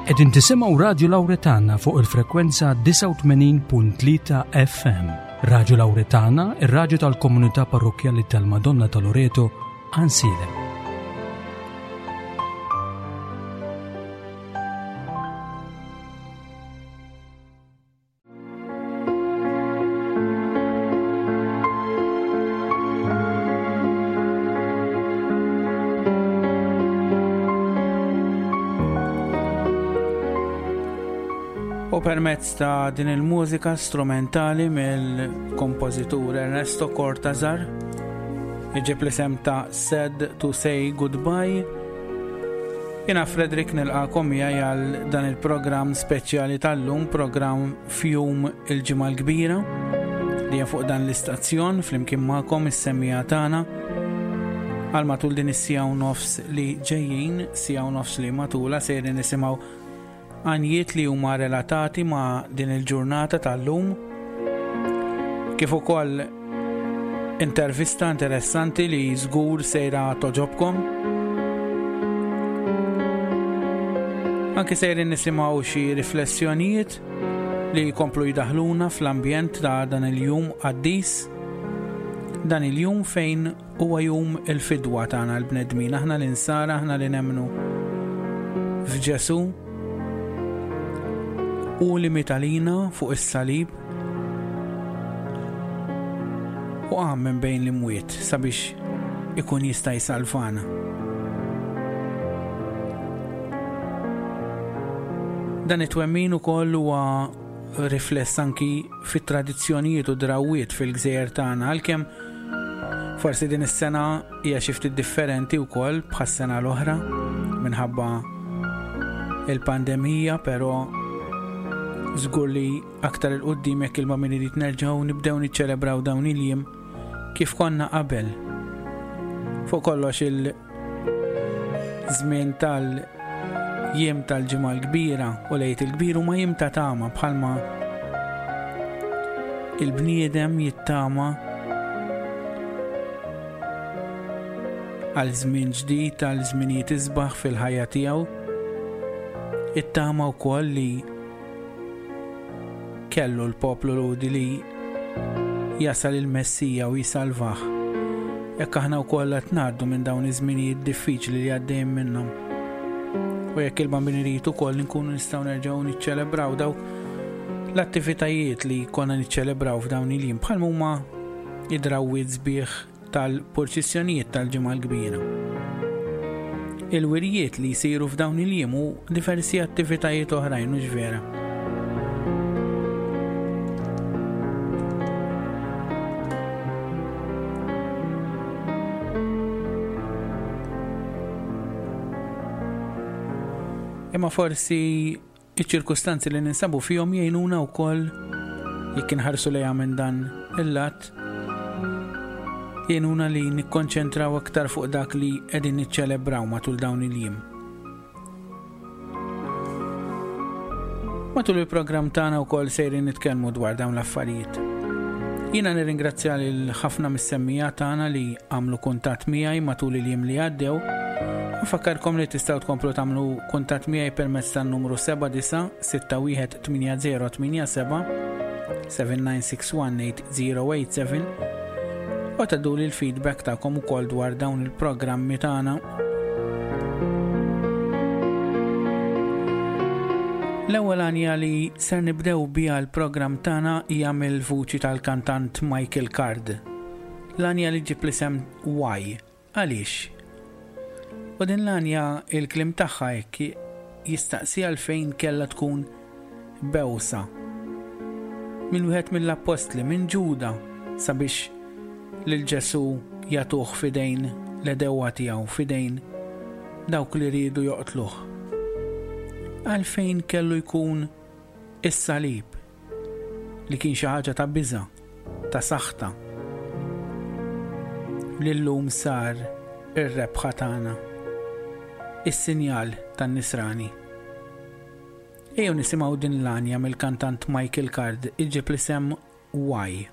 Qegħdin tisimgħu Radju Lawretana fuq il-frekwenza 89.3 FM. Radju Lawretana, ir-radju tal-komunità parrokkjali tal-Madonna ta' Loreto, Ansilem. U permezz ta' din il-mużika strumentali mill-kompożitur Ernesto Cortazar, iġib l-isem ta' Sad to Say Goodbye, Jiena Frederick nilqakom miegħi għal dan il-programm speċjali tal-lum, programm fjum il-Ġimgħa l-Kbira li hija fuq dan l-istazzjon flimkien magħkom is-semmiegħa tagħna għal matul din is-siegħa u nofs li ġejjin, siegħa u nofs li matula sejrin nisimgħu għanjiet li huma relatati ma' din il-ġurnata tal-lum, kif ukoll intervista interessanti li żgur sejra toġobkom. Anki sejrin nisimgħu xi riflessjonijiet li jkomplu jdaħluna fl-ambjent ta' dan il-jum qaddis, dan il-jum fejn Huwa jum il-fidwa tagħna l-bnedmin, aħna l-insara, aħna li nemmnu f'Ġesù. Hu li miet għalina fuq is-salib u qam minn bejn l-imwiet sabiex ikun jista' jsalvana. Dan it-twemmin ukoll huwa rifless anki fit-tradizzjonijiet u drawwiet fil-gżejjer tagħna, għalkemm forsi din is-sena hija xi ftit differenti wkoll bħas-sena l-oħra minħabba il-pandemija, però żgur li aktar 'il quddiem jekk il-Bambin irid nerġgħu nibdew niċċelebraw dawn il-jiem kif konna qabel. Fuq kollox il- Żmien tal-jiem tal-Ġimgħa l-Kbira u l-Għid il-Kbir huma jiem ta' tama bħalma il-bniedem jittama għal żmien ġdid, għal żminijiet isbaħ fil-ħajja tiegħu. Ittama wkoll li Kellu l-poplu Lhudi li jasal il-Messija u jsalvah. Hekk aħna wkoll qed ngħaddu minn dawn iż-żminijiet diffiċli li għaddejjin minnhom. U jekk il-Bambin irid ukoll inkunu nistgħu nerġgħu niċċelebraw dawk l-attivitajiet li konna niċċelebraw f'dawn il-jiem bħal huma id-drawwiet sbieħ tal-purċissjonijiet tal-Ġimgħa l-Kbira. Il-wirjiet li jsiru f'dawn il-jiem u diversi attivitajiet oħrajn hux vera. Imma forsi Iċ-ċirkustanzi li ninsabu fihom jgħinuna wkoll jekk inħarsu lejha minn dan il-lat jgħinuna li nikkonċentraw aktar fuq dak li qegħdin niċċelebraw matul dawn il-jiem. Matul il-programm tagħna wkoll sejrin nitkellmu dwar dawn l-affarijiet. Jiena nirringrazzja lil ħafna mis-semmija tagħna li għamlu kuntatt miegħi matul il-jiem li għaddew. Nfakkarkom li tistgħu tkomplu tagħmlu kuntatt miegħi permezz tan-numru 79618087 79618087 u tgħadduli l-feedback tagħkom ukoll dwar dawn il-programmi tagħna. L-ewwel għanja li ser nibdew biha l-programm tagħna hija mill-vuċi tal-kantant Michael Card. L-għanja li ġġib l-isem Why? Għaliex? U din l-għanja il-kliem tagħha hekk jistaqsi għalfejn kellha tkun bewsa minn wieħed mill-appostli, minn Ġuda, sabiex lil Ġesù jagħtuh f'idejn l-għedewwa tiegħu, f'idejn dawk li riedu joqtluh. Għalfejn kellu jkun is-salib? li kien xi ħaġa ta' biża', ta' saħta, li llum sar ir-rebħa tagħna, is-sinjal tan-Nisrani. Ejjew nisimgħu din l-għanja mill-kantant Michael Card iġġib l-isem Why.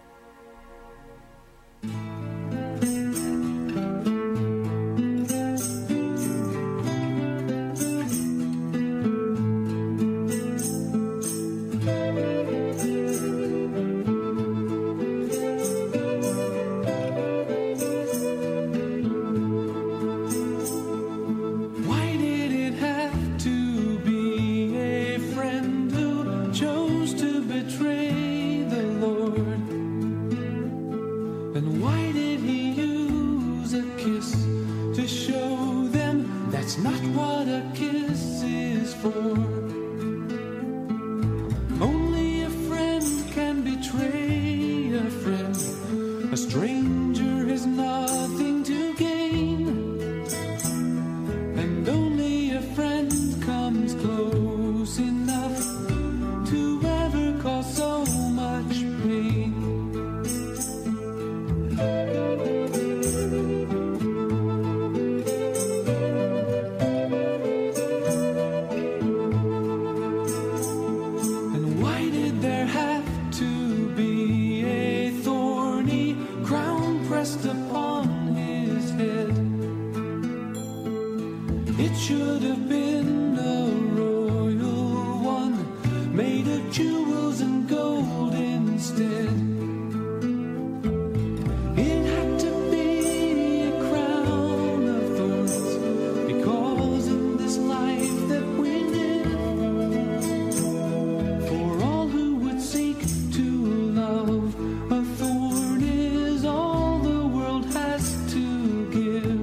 not what a kiss is for. Only a friend can betray a friend. A stranger has nothing to gain. And only a friend comes close enough to ever cause so much pain. And why did there have to be a thorny crown pressed upon his head? It should have been a royal one, made of jewels and gold instead. It had to be a crown of thorns, because in this life that we live, for all who would seek to love, a thorn is all the world has to give.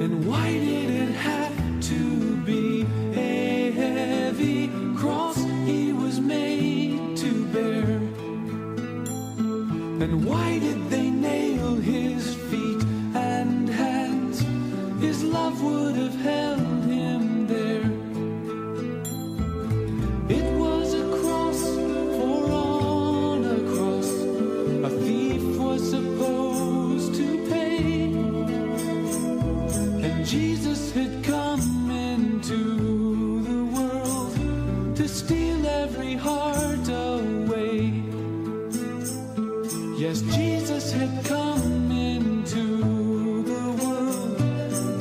And why did it have to be a heavy cross he was made to bear? And why did they nail his feet and hands? His love would have held him there. It was a cross, for on a cross a thief was supposed to pay. And Jesus had come into the world to steal every heart away. Yes, Jesus had come into the world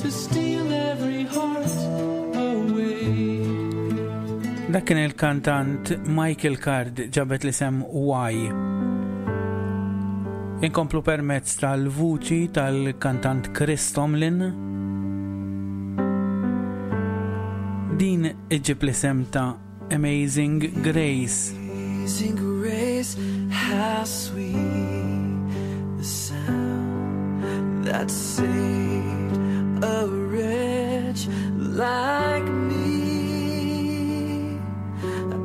to steal every heart away. Dak kien il-kantant Michael Card ġabet l-isem Why. Inkomplu permezz tal-vuċi tal-kantant Chris Tomlin. Din iġib l-isem ta' Amazing Grace. Amazing grace, how sweet the sound that saved a wretch like me.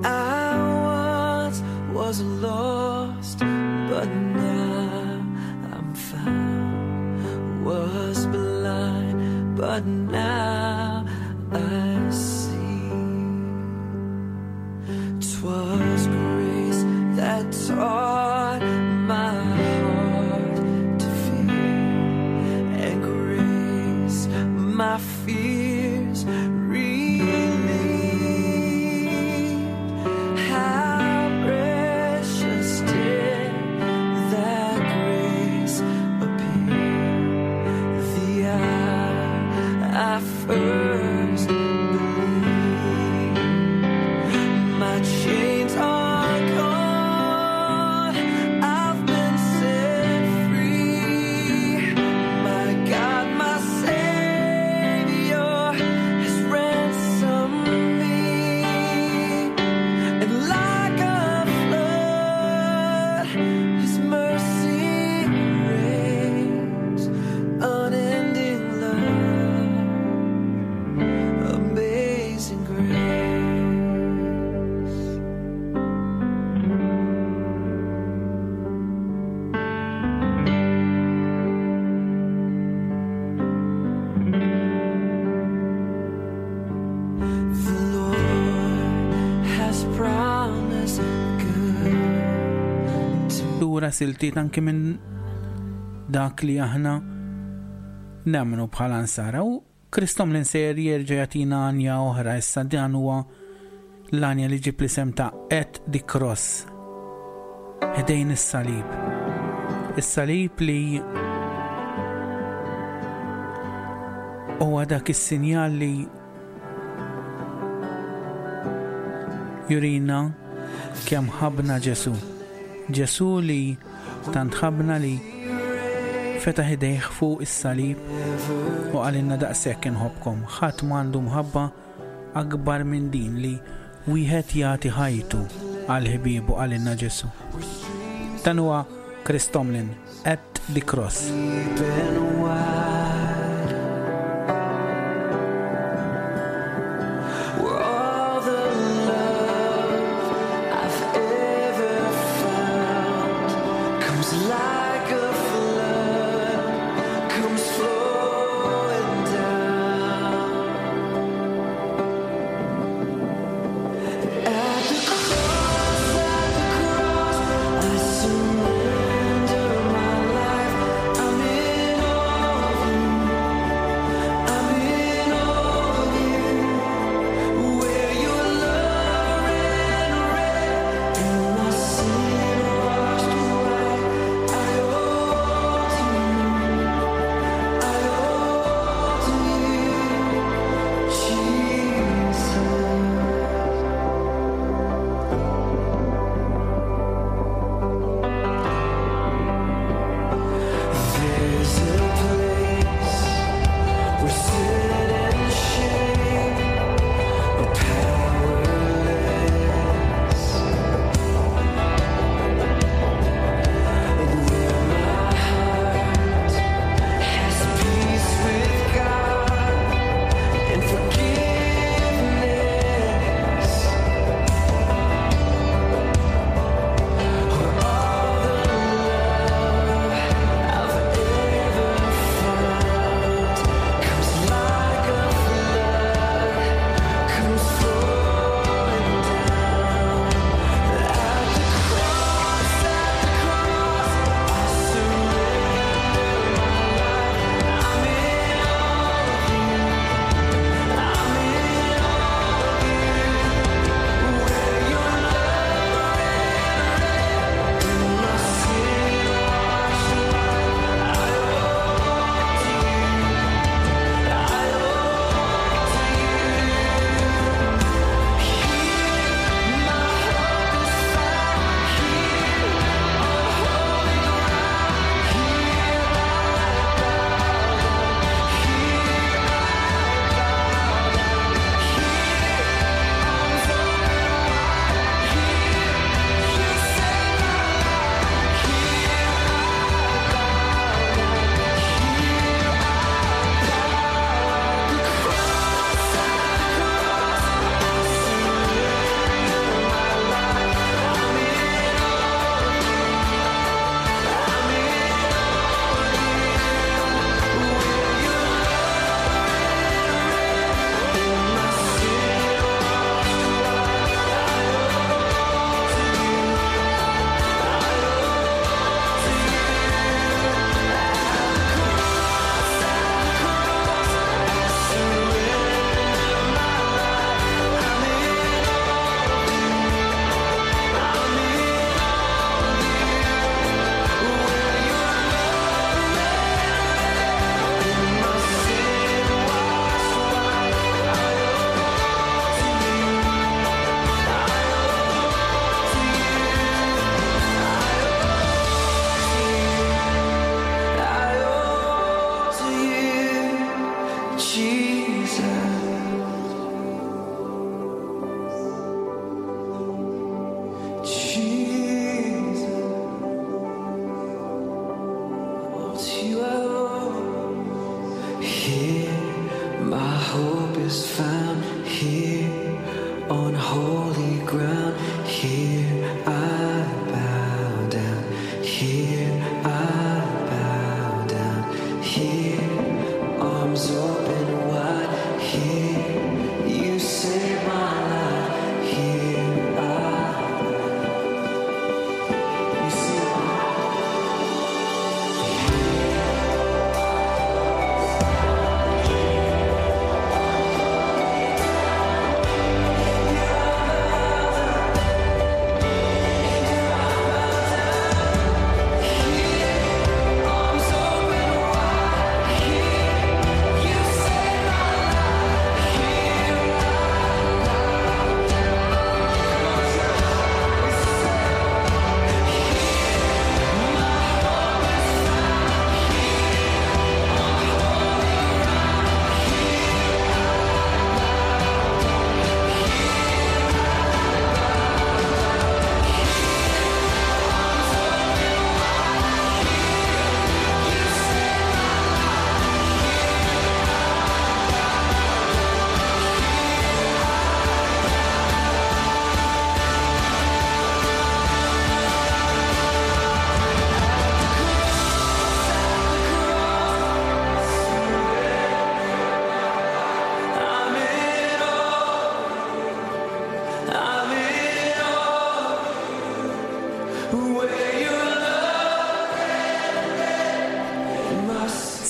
I once was lost, but now I'm found. Was blind, but now I see. 'Twas grace that taught my heart to fear, and grace my fears relieved. How precious did that grace appear the hour I first believed. My chains are gone, I've been set free. My God, my Savior has ransomed me. And like a flood, His mercy reigns, unending love, amazing grace. The Lord has promised good to Lura siltiet anki minn dak li aħna nemmnu bħala nsara u Chris Tomlin sejjer jerġa' jagħtina għanja oħra issa dan huwa l-għanja li ġib l-isem ta' At the Cross. Ħdejn is-salib. Is-salib li huwa dak is-sinjal li jurina kemm ħabna Ġesu. Ġesu li tant ħabna li fetaħ idejh fuq is-salib u qalilna daqshekk inħobbkom. Ħadd m'għandu mħabba akbar minn din li Wieħed jagħti ħajtu għal ħbiebu qalilna Ġesù. Dan huwa Chris Tomlin, At the Cross.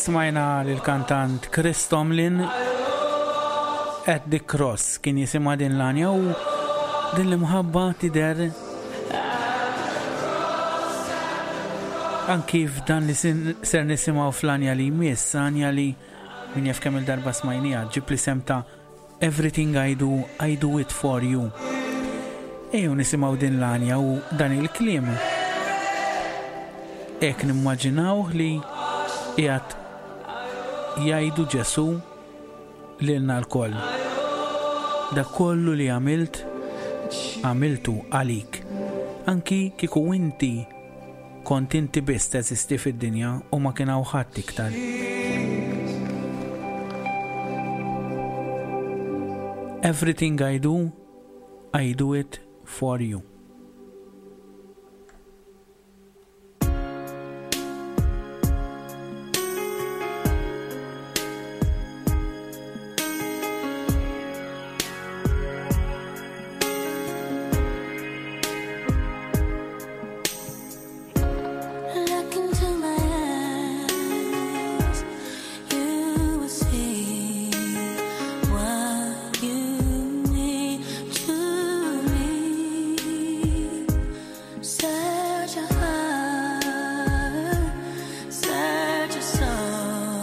Smajna l-kantant Chris Tomlin at the Cross kien jisimha din l-għanja u din l-imħabba tidher anki f'dan li ser nisimgħu fl-għanja li jmiss, għanja li min jaf kemm il-darba smajnija, ġib li sem ta' Everything I do, I do it for you. Ejjew nisimgħu din l-għanja u dan il-kliem. Hekk nimmaġinawh li qiegħed jgħidu Ġesù lilna lkoll. Dak kollu li għamilt, għamiltu għalik. Anki kieku inti Kont inti biss teżisti fid-dinja u ma kien hawn ħadd iktar. Everything I do, I do it for you. Look into my eyes, you will see what you mean to me. Search your heart, search your soul.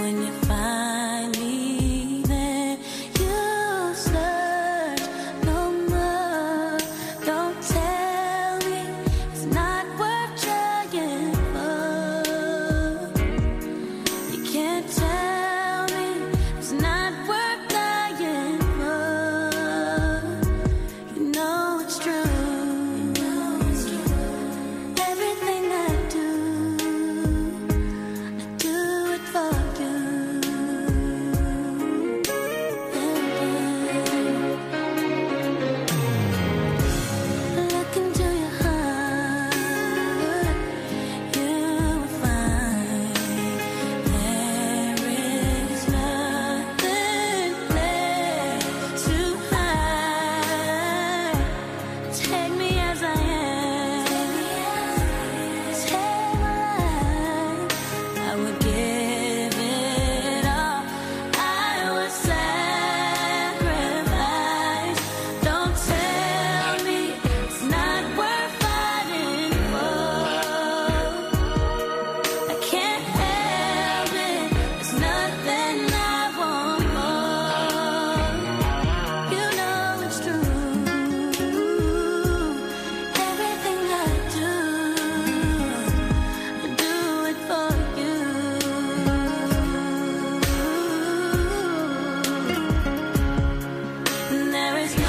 When you find me, then you'll search no more. Don't tell me it's not worth trying for. You can't tell me it's not worth dying for. You know it's true. Everything I do, I do it for you. Look into your heart, you will find there is nothing left to hide. Take me as I am. Take my life. I would give it all. I would sacrifice. Don't tell me it's not worth fighting for. I can't help it. There's nothing I want more. You know it's true. Everything I do, I do it for you. There is no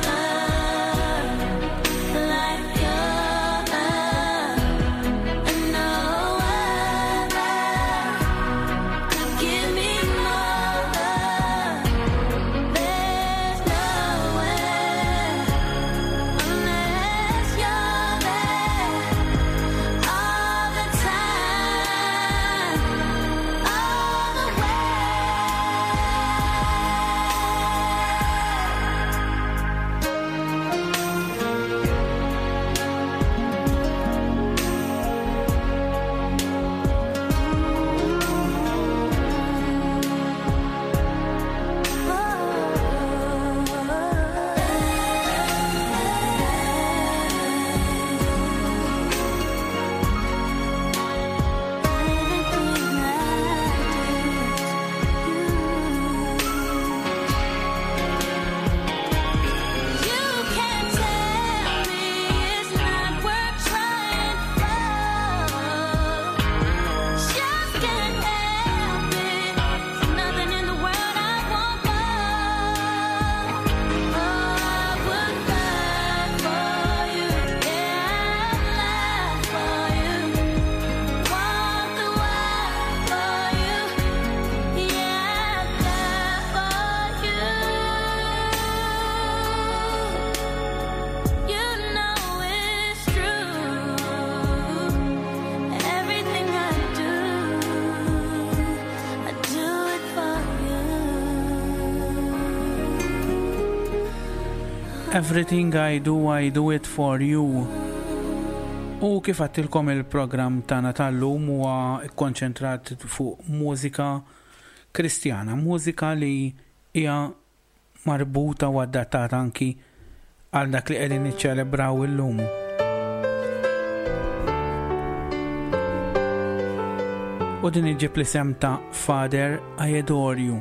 love like your love, and no other could give me more love. There's no way unless you're there all the time, all the way. You can't tell me it's not worth trying for. Just can't help it. There's nothing in the world I want more. Oh, I would die for you. Yeah, I'd lie for you. Walk the wire for you. Yeah, I'd die for you. You know it's true. Everything I do, I do it for you. Everything I do, I do it for you. U kif għattilkom il-programm tagħna tal-lum huwa kkonċentrat fuq mużika Kristjana, mużika li hija marbuta u adattata anki għal dak li qegħdin niċċelebraw illum. U din iġib l-isem ta' Father I Adore You.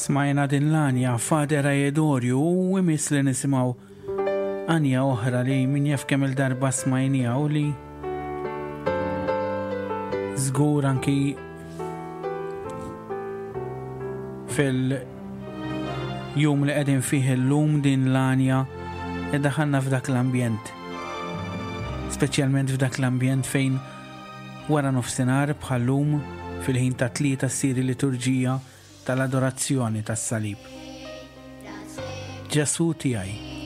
Smajna din l-għanja Father I Adore You u imiss li nisimgħu għanja oħra li min jaf kemm il-darba smajnija u li żgur anki fil-jum li qegħdin fih illum din l-għanja iddaħħalna f'dak l-ambjent. Speċjalment f'dak l-ambjent fejn wara nofsinhar bħal-lum fil-ħin ta' tlieta ssir il-liturġija tal-adorazzjoni tas-salib. Ġesù tiegħi.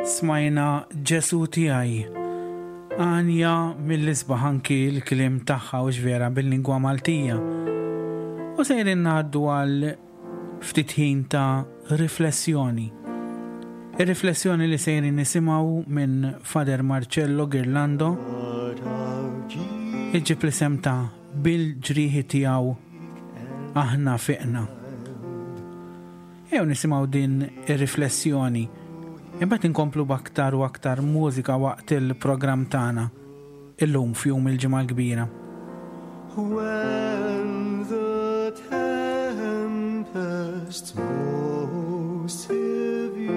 Smajna Ġesu tiegħi. Għanja mill-isbaħ anki l-kliem tagħha u vera bil-lingwa Maltija. U sejrin ngħaddu għal ftit ħin ta' riflessjoni. Ir-riflessjoni li sejrin nisimgħu minn Father Marcello Girlando iġġib l-isem ta' bil-ġrieħi tiegħu aħna fiqna. Ejjew nisimgħu din ir-riflessjoni. Imbagħad inkomplu b'aktar u aktar mużika waqt il-programm tagħna illum f'jum il-Ġimgħa l-Kbira. When the tempest's most severe,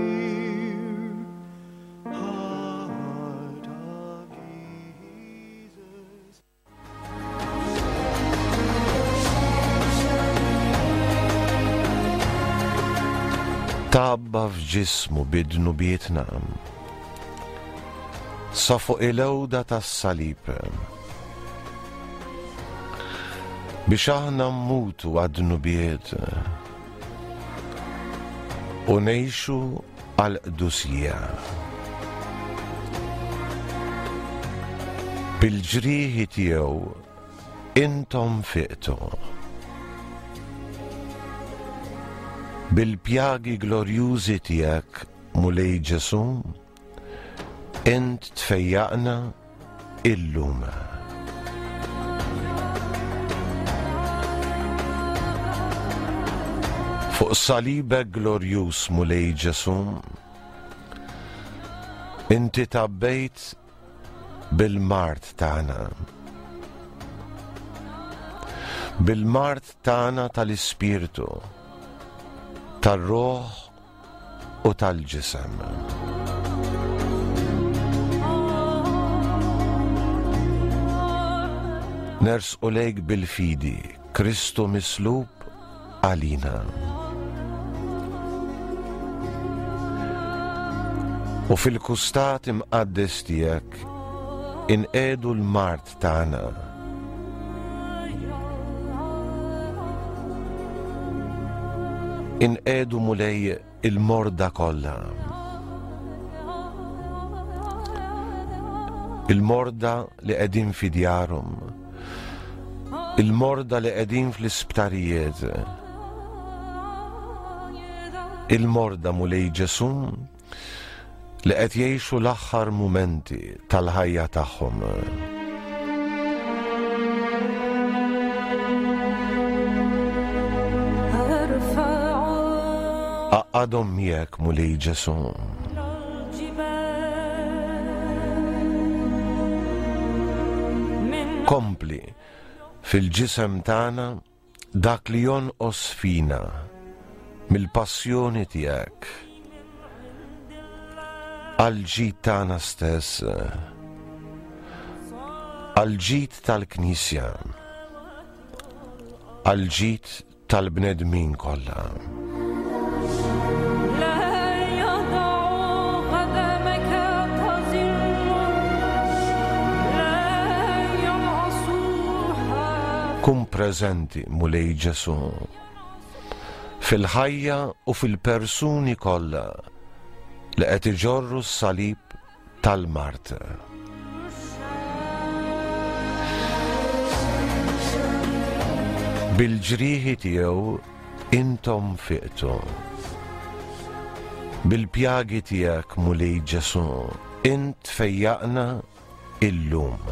heart of Jesus. Tgħabba f'ġismu bi dnubietna sa fuq il-għuda tas-salib biex aħna mmutu għad-dnubiet u ngħixu għall-qdusija. Bil-ġrieħi tiegħu intom fiqtu. Bil-pjagi glorjużi tiegħek, Mulej Ġesù, int tfejjaqna illum. Fuq salibek glorjuż Mulej Ġesù, inti tabbejt bil-mard tagħna. Bil-mard tagħna tal-ispirtu, tar-ruħ u tal-ġisem. Nersqu lejk bil-fidi, Kristu mislub għalina. U fil-kustat imqaddes tiegħek inqedu l-mard tagħna. Inqedu Mulej il-morda kollha. Il-morda li qegħdin fi djarhom. Il-morda li qegħdin fl-isptarijiet. Il-morda Mulej Ġesu li qed jgħixu l-aħħar mumenti tal-ħajja tagħhom. Għaqqadhom miegħek Mulej Ġesu. Kompli fil-ġisem tagħna Dak li jonqos fina mill-passjoni tiegħek għall-ġid tagħna stess, għall-ġid tal-Knisja, għall-ġid tal-bnedmin kollha. Kun preżenti, Mulej Ġesù, fil-ħajja u fil-persuni kollha li qed iġorru s-salib tal-mard. Bil-ġrieħi tiegħu intom fiqtu. Bil-pjagi tiegħek, Mulej Ġesù, int fejjaqna illum.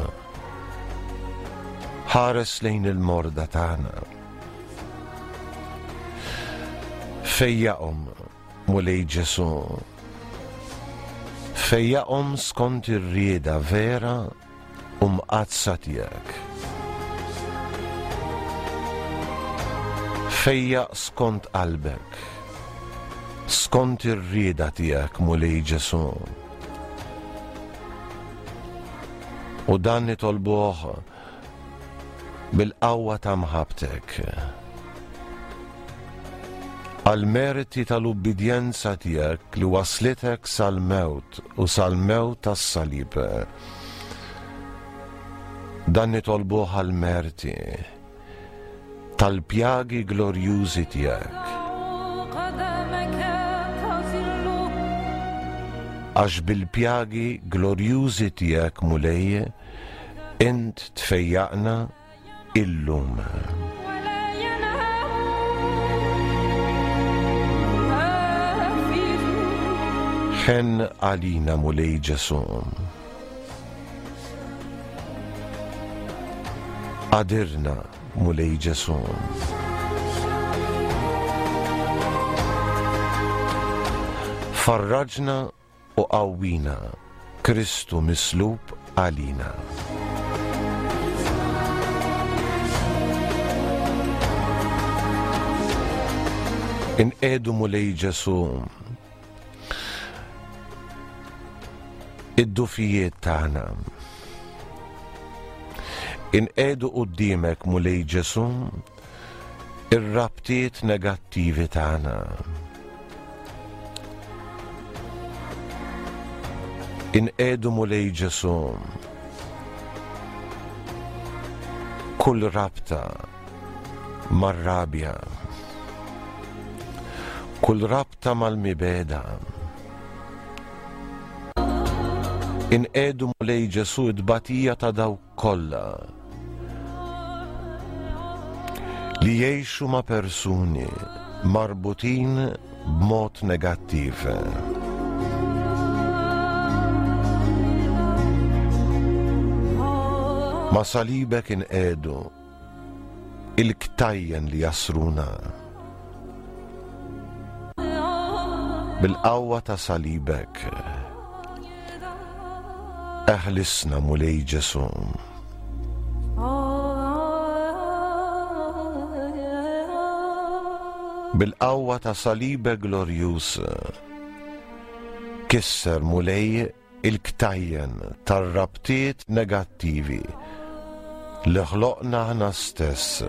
Ħares lejn il-morda tagħna. Fejjaqhom, Mulej Ġesù. Fejjaqhom skont ir-rieda vera u mqaddsa tiegħek. Fejjaq skont qalbek, skont ir-rieda tiegħek, Mulej Ġesù. U dan nitolbuh bil-qawwa ta' mħabbtek. Għall-merti tal-ubbidjenza tiegħek li waslitek sal-mewt u sal-mewt tas-salib. Dan nitolbuh għall-merti tal-pjagi glorjużi tiegħek. Għax bil-pjagi glorjużi tiegħek Mulej, int tfejjaqna illum. Ħenn għalina Mulej Ġesu. Qadirna Mulej Ġesu. Farraġna u qawwina, Kristu mislub għalina. Inqiegħdu Mulej Ġesu id-dufijiet tagħna. Inqiegħdu quddiemek Mulej Ġesu ir-rabtiet negattivi tagħna. Inqiegħdu Mulej Ġesu kull rabta mar-rabja, kull rabta mal-mibegħda. Inqiegħdu Mulej Ġesu t-tbatija ta' dawk kollha li jgħixu ma' persuni marbutin b'mod negattiv. Ma' salibek inqiegħdu il-ktajjen li jasruna. Bil-qawwa ta' salibek, eħlisna Mulej Ġesu. Bil-qawwa ta' salibek glorjuż, kisser Mulej il-ktajjen tar-rabtiet negattivi li ħloqna aħna stess.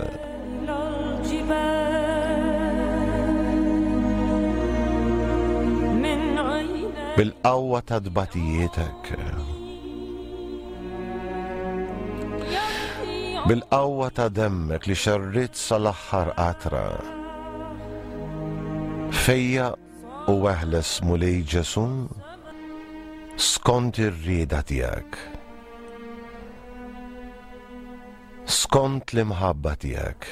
Bil-qawwa ta' tbatijietek. Bil-qawwa ta' demmek li xerridt sal-aħħar qatra. Fejjaq U eħles Mulej Ġesù skont ir-rieda tiegħek. Skont l-imħabba tiegħek.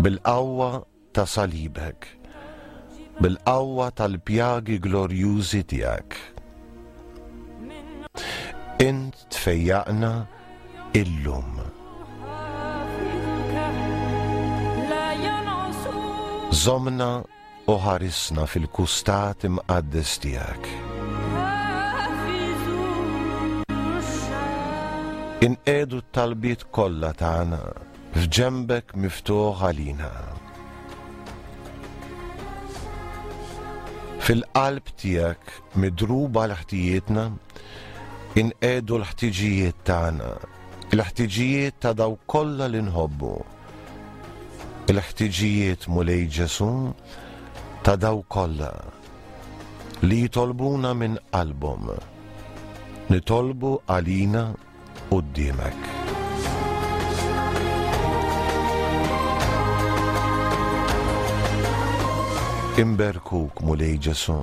Bil-qawwa ta' salibek. Bil-qawwa tal-pjagi glorjużi tiegħek. Int tfejjaqna illum. Żommna u ħarisna fil-kustat imqaddes tiegħek. Inqiegħdu t-talbiet kollha tagħna f'ġenbek miftuħ għalina. Fil-qalb tiegħek midruba għal ħtijietna, inqiegħdu l-ħtiġijiet tagħna, il-ħtiġijiet ta' dawk kollha li nħobbu. Il-ħtiġijiet Mulej Ġesu ta' dawk kollha li jitolbuna minn qalbhom. Nitolbu għalina quddiemek. Inberkuk Mulej Ġesu.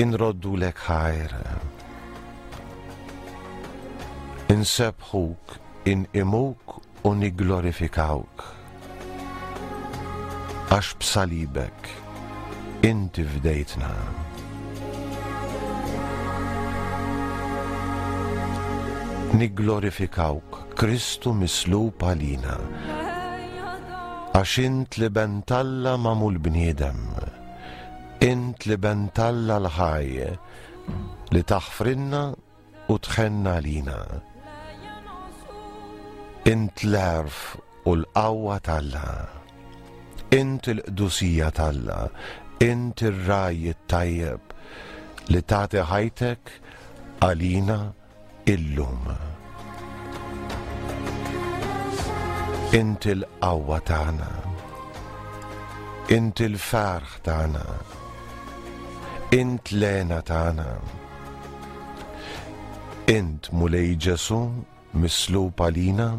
Inroddulek ħajr. Insebbħuk, inqimuk u nigglorifikawk. Għax b'salibek inti fdejtna. Nigglorifikawk Kristu mislub għalina. Għax int l-Iben t'Alla magħmul bniedem. Int l-Iben t'Alla l-ħaj li taħfrilna u tħenn għalina. Int l-għerf u l-qawwa t'Alla. Int il-qdusija t'Alla, int ir-ragħaj it-tajjeb li tagħti ħajtek għalina illum. Int il-qawwa tagħna. Int il-ferħ tagħna. Int l-hena tagħna. Int Mulej Ġesù mislub għalina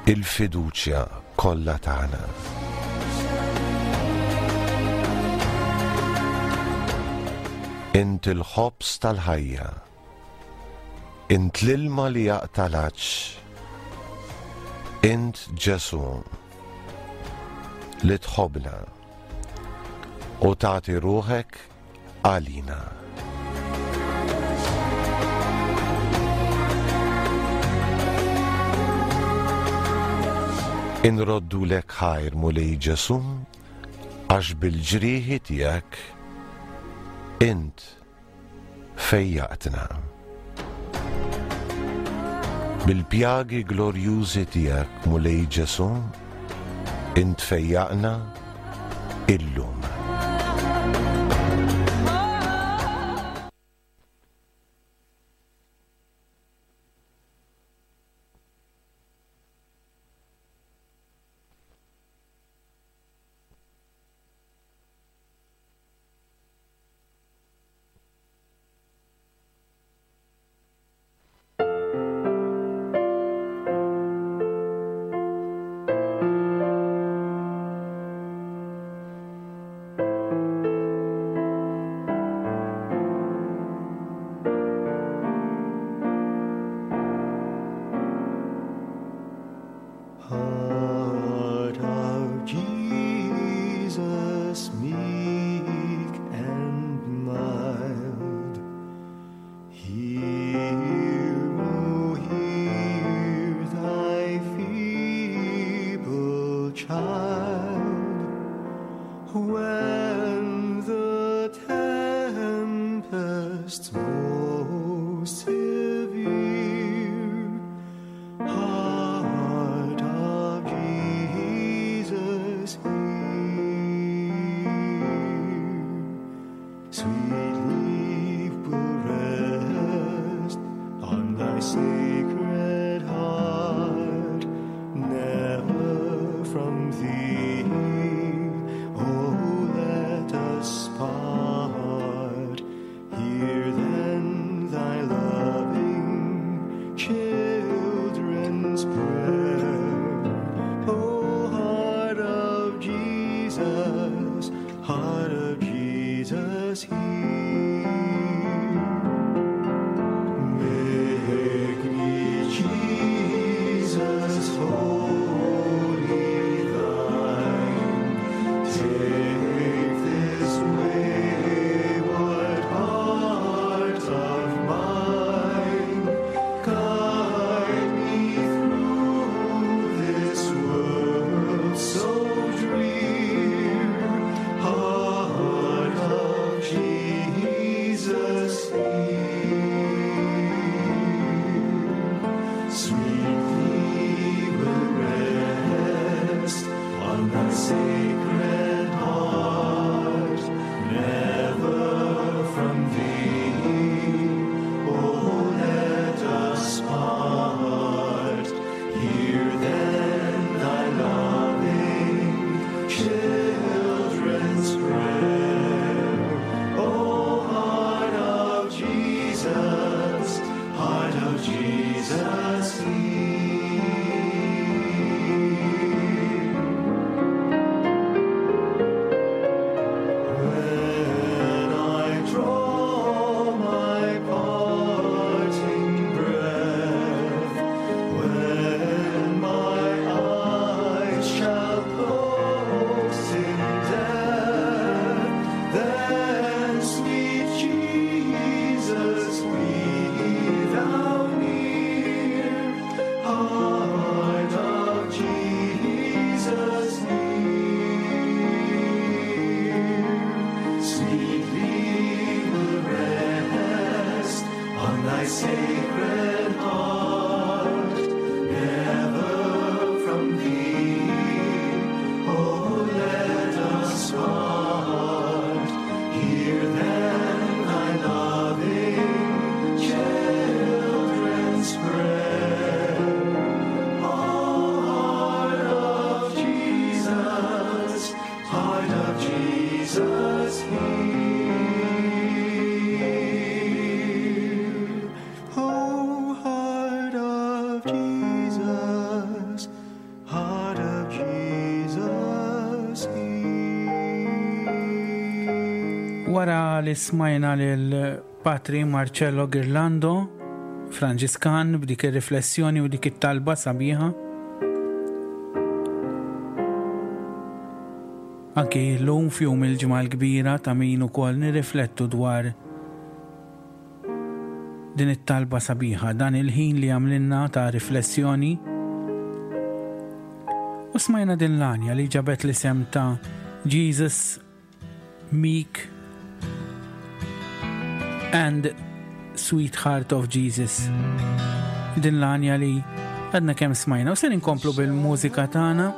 il-fiduċja kollha tagħna. Int il-ħobż tal-ħajja. Int l-ilma li jaqta' l-għatx. Int Ġesù li tħobbna u tagħti ruħek għalina. Inroddulek ħajr Mulej Ġesù għax bil-ġrieħi tiegħek int fejjaqtna. Bil-pjagi glorjużi tiegħek Mulej Ġesù int fejjaqna illum. Heart of Jesus, meek and mild, hear, O hear thy feeble child. When the tempest most severe, Heart of Jesus, hear. Sweetly will rest on thy sacred heart, never from thee, oh, let us part. Hear then thy loving children's prayer. O heart of Jesus, heart of Jesus, hear. Make me, Jesus, wholly thine. Take this wayward heart of mine. Guide me through this world so drear. Heart of Jesus, hear. Sweetly will rest on thy sacred heart, never from thee, oh, let us part. Hear then thy loving children's prayer. O heart of Jesus, heart of Jesus, hear. When I draw my parting breath, when my eyes shall close in death, then, sweet Jesus, be thou near, heart of Jesus, hear. Sweetly will rest on thy sacred heart, never from thee, oh, let us part. Hear then thy loving children's prayer. O heart of Jesus, heart of Jesus, hear. Oh, Wara li smajna lil Patri Marcello Girlando, Franġiskan, b'dik ir-riflessjoni u dik it-talba sabiħa. Anki llum f'jum il-Ġimgħa l-Kbira ta' min ukoll nirriflettu dwar din it-talba sabiħa, dan il-ħin li għamlilna ta' riflessjoni. U smajna din l-għanja li ġabet l-isem ta' Jesus Meek and Sweetheart of Jesus. Din l-għanja li għadna kemm smajna u se inkomplu bil-mużika tagħna.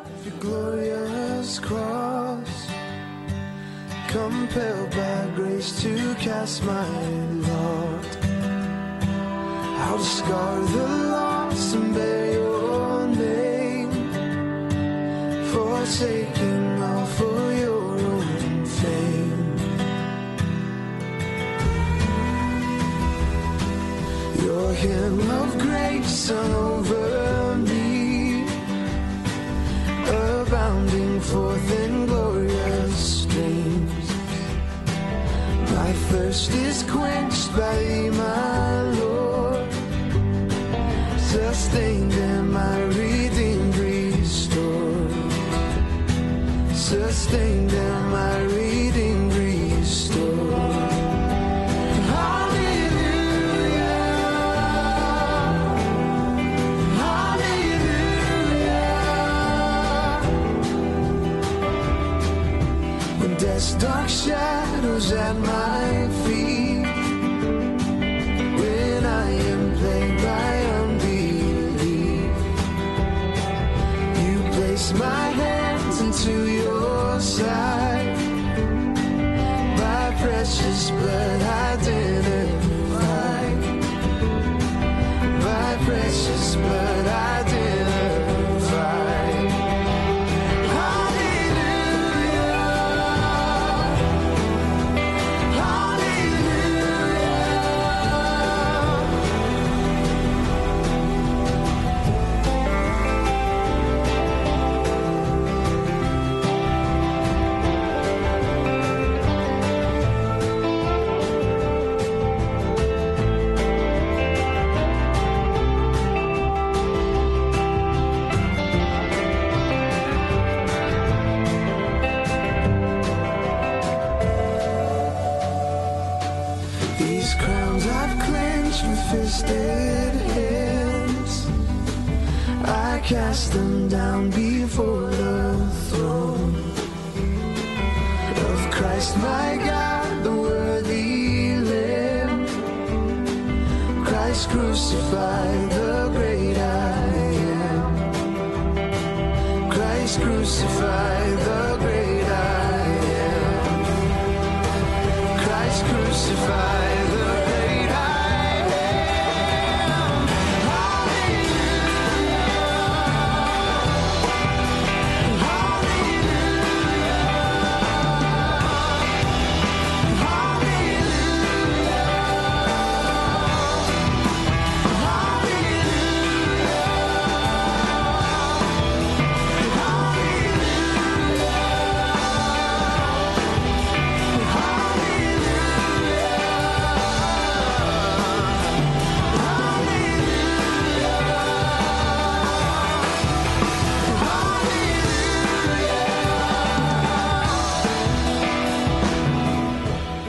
Compelled by grace to cast my lot I'll discard the lost and bear your name Forsaking all for your own fame Your hymn of grace over me Abounding forth in glorious streams My thirst is quenched by thee, my Lord Sustained and my redeemed restored Sustained and my redeemed restored Hallelujah Hallelujah When death's dark shadows at my feet When I am plagued by unbelief You place my hands into your side By precious blood identified By precious blood identified Hallelujah Hallelujah These crowns I've clenched with fisted hands. I cast them down before the throne of Christ, my God, the worthy Lamb. Christ crucified, the great I am. Christ crucified, the great I am. Christ crucified, the great I am. Hallelujah. Hallelujah.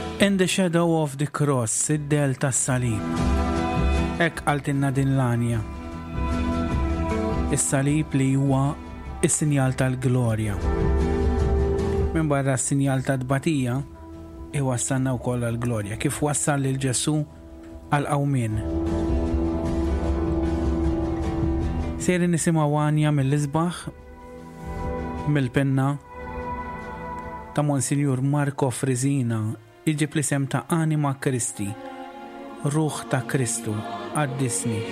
Hallelujah. In the Shadow of the Cross, id-del tas-salib. Hekk qaltilna din l-għanja. Is-salib li huwa is-sinjal tal-glorja. Minn barra s-sinjal ta' tbatija, iwassalna wkoll għall-glorja, kif wassal lil Ġesù għall-qawmien. Sejrin nisimgħu għanja mill-isbaħ mill-pinna ta' Monsinjur Marco Frisina iġib l-isem ta' Anima Christi, Ruħ ta' Kristu, qaddisni.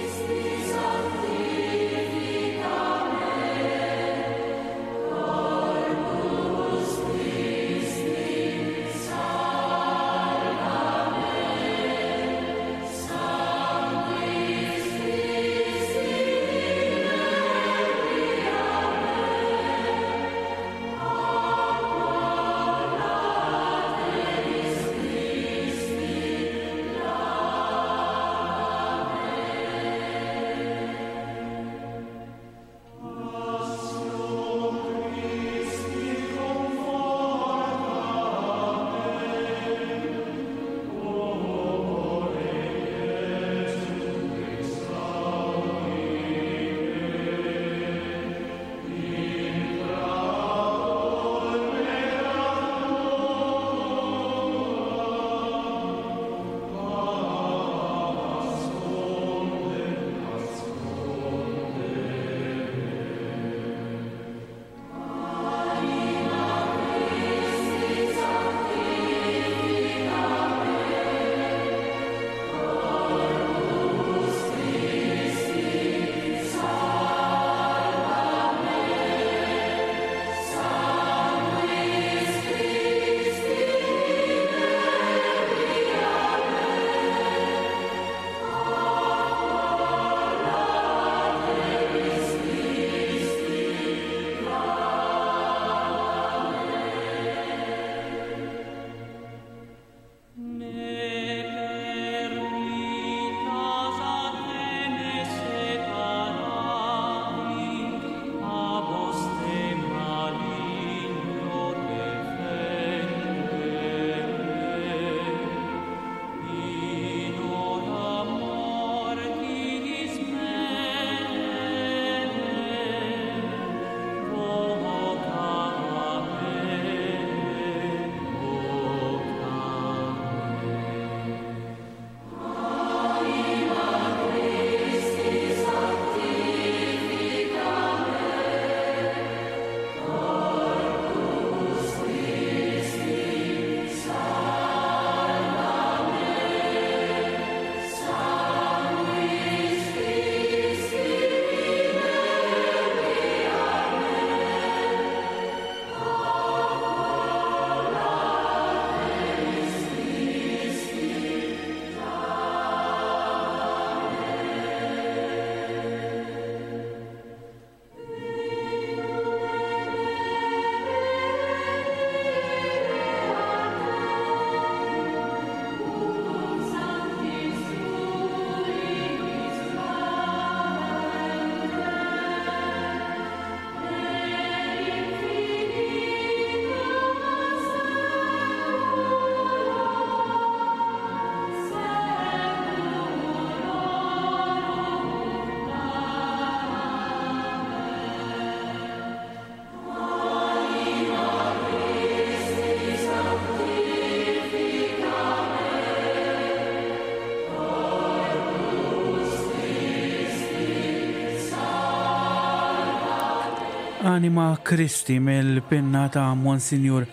Anima Christi mill-pinna ta' Monsinjur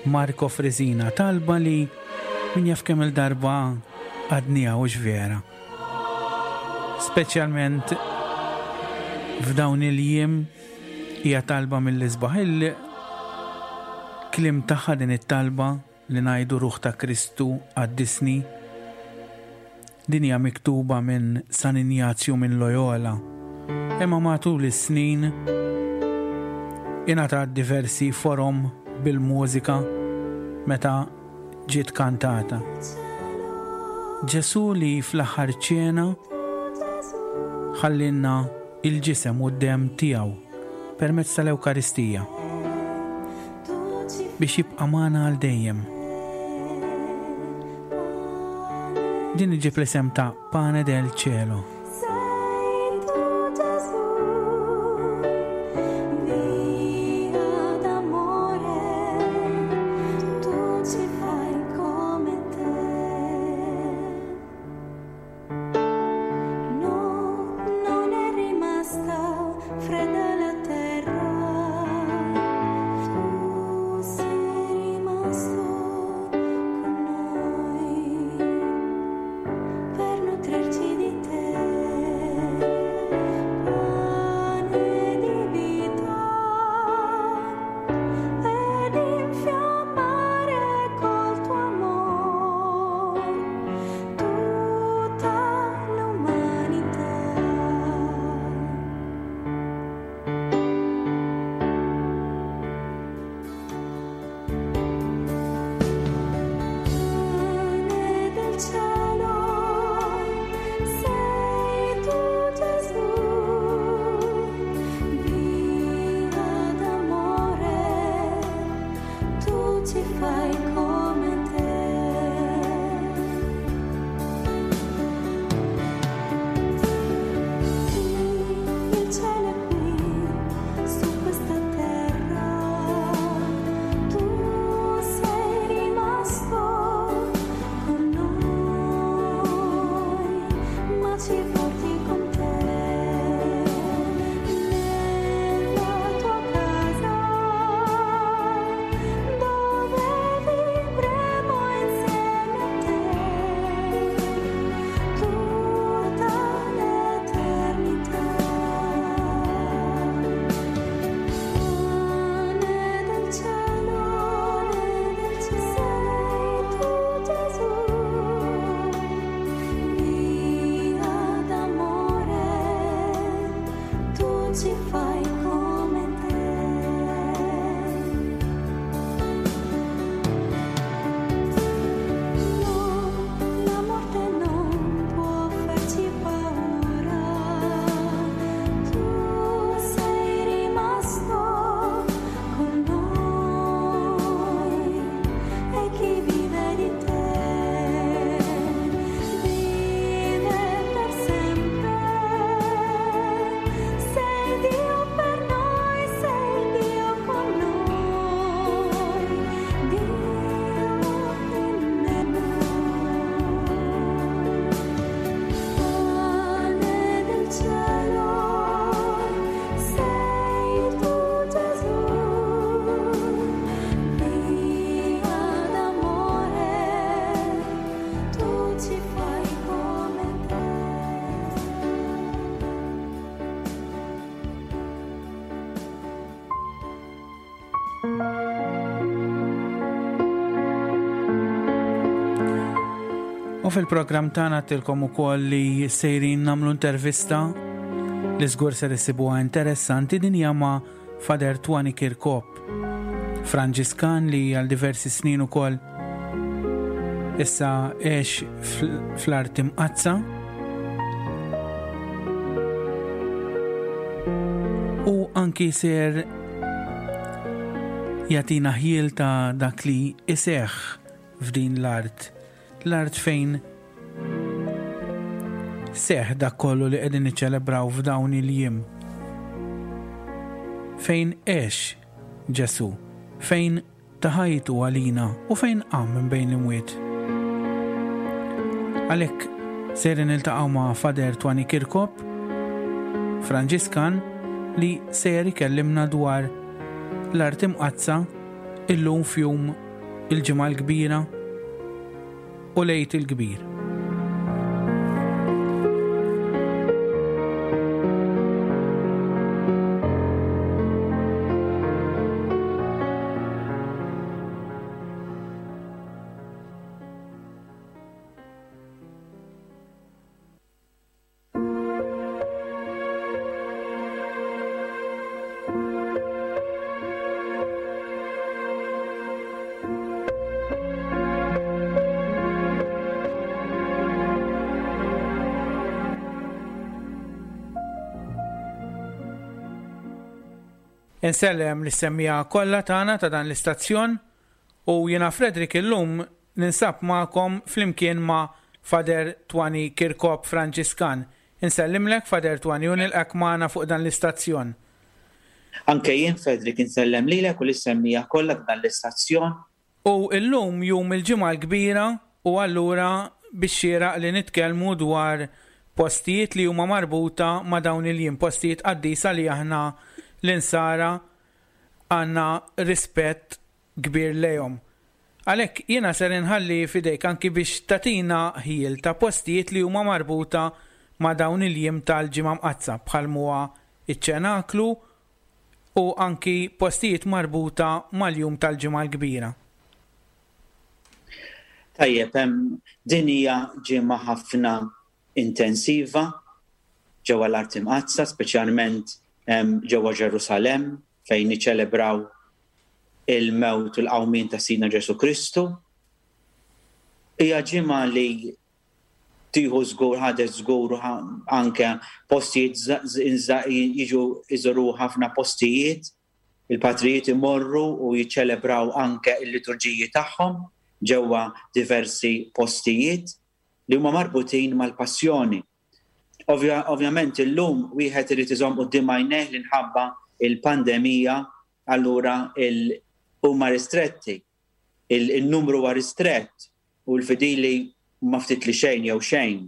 Marco Frisina, talba li min jaf kemm il-darba għadniha u vera. Speċjalment f'dawn il-jiem hija talba mill-isbaħ il-kliem tagħha din it-talba li ngħidu Ruħ ta' Kristu qaddisni. Din hija miktuba minn San Injazju minn Loyola, imma matul is-snin ingħatat diversi forom bil-mużika meta ġiet kantata. Ġesù li fl-aħħar ċena ħallinna il-ġisem u d-demm tiegħu permezz tal-Ewkaristija. Biex jibqa' magħna għal dejjem. Din iġib l-isem ta' Pane del Cielo. No, non è rimasta fredda la terra. Tu sei rimasto con noi per nutrirci di te. Pane di vita ed infiammare col tuo amor tutta l'umanità. Pane del cielo, sei tu Gesù, via d'amore, tu ci fai come te. Il cielo è qui, su questa terra, tu sei rimasto con noi, ma ci porti con te nella tua casa, dove vivremo insieme a te tutta l'eternità. Pane del cielo, sei tu Gesù, via d'amore, tu ci fai come te. No, la morte non può farci paura. Tu sei rimasto con noi e chi vive di te vive per sempre. Sei Dio per noi, sei Dio con noi, Dio in noi. Pane del cielo, sei tu Gesù, via d'amore, tu ci fai come te. U fil-programm tagħna tilkom ukoll li sejrin nagħmlu intervista li żgur ser issibuha interessanti din hija ma' Fader Twani Kirkop, Franġiskan li għal diversi snin ukoll issa għex fl-art imqaddsa. U anki ser jagħtina ħjiel ta' dak li iseħħ f'din l-art, l-art fejn seħ dak kollu li qegħdin niċċelebraw f'dawn il-jiem. Fejn għex Ġesù, fejn ta ħajtu għalina u fejn qam minn bejn l-imwiet. Għalhekk sejrin niltaqgħu ma' Fader Twani Kirkop, Franġiskan, li sejjer ikellimna dwar l-Art Imqaddsa illum f'jum il-Ġimgħa l-Kbira u l-Għid il-Kbir. Insellem lis-semmiegħa kollha tagħna ta' dan l-istazzjon u jiena Frederick illum Ninsab magħkom flimkien ma' Father Twani Kirkop Franġiskan. Insellimlek Father Twani u nilqgħek magħna fuq dan l-istazzjon. Anke jien Frederick insellem lilek u lis-semmiegħa kollha ta' dan l-istazzjon. U illum jum il-Ġimgħa l-Kbira u allura bix-xieraq li nitkellmu dwar postijiet li huma marbuta ma' dawn il-jiem, postijiet qaddisa li aħna l-Insara għandna rispett kbir lejhom. Għalhekk jiena ser inħalli f'idejk anki biex tagħtina ħjiel ta' postijiet li huma marbuta ma' dawn il-jiem tal-Ġimgħa Mqaddsa bħal m'huwa ċ-Ċenaklu u anki postijiet marbuta mal-jum tal-Ġimgħa l-Kbira. Tajjeb, din hija ġimgħa ħafna intensiva ġewwa l-Art Imqaddsa, speċjalment ġewwa Ġerusalemm fejn niċċelebraw il-mewt u l-qawmien ta' Sidna Ġesù Kristu. Hija ġimgħa li tieħu żgur, ħadet żgur anke postijiet jiġu iżuru ħafna postijiet, il-patrijiet imorru u jiċċelebraw anke l-liturġiji tagħhom ġewwa diversi postijiet li huma marbutin mal-passjoni. Ovvjament illum wieħed irid iżomm quddiem għajnejh li nħabba il-pandemija allura huma ristretti. Il-numru huwa ristrett u l-fidili huma ftit li xejn jew xejn.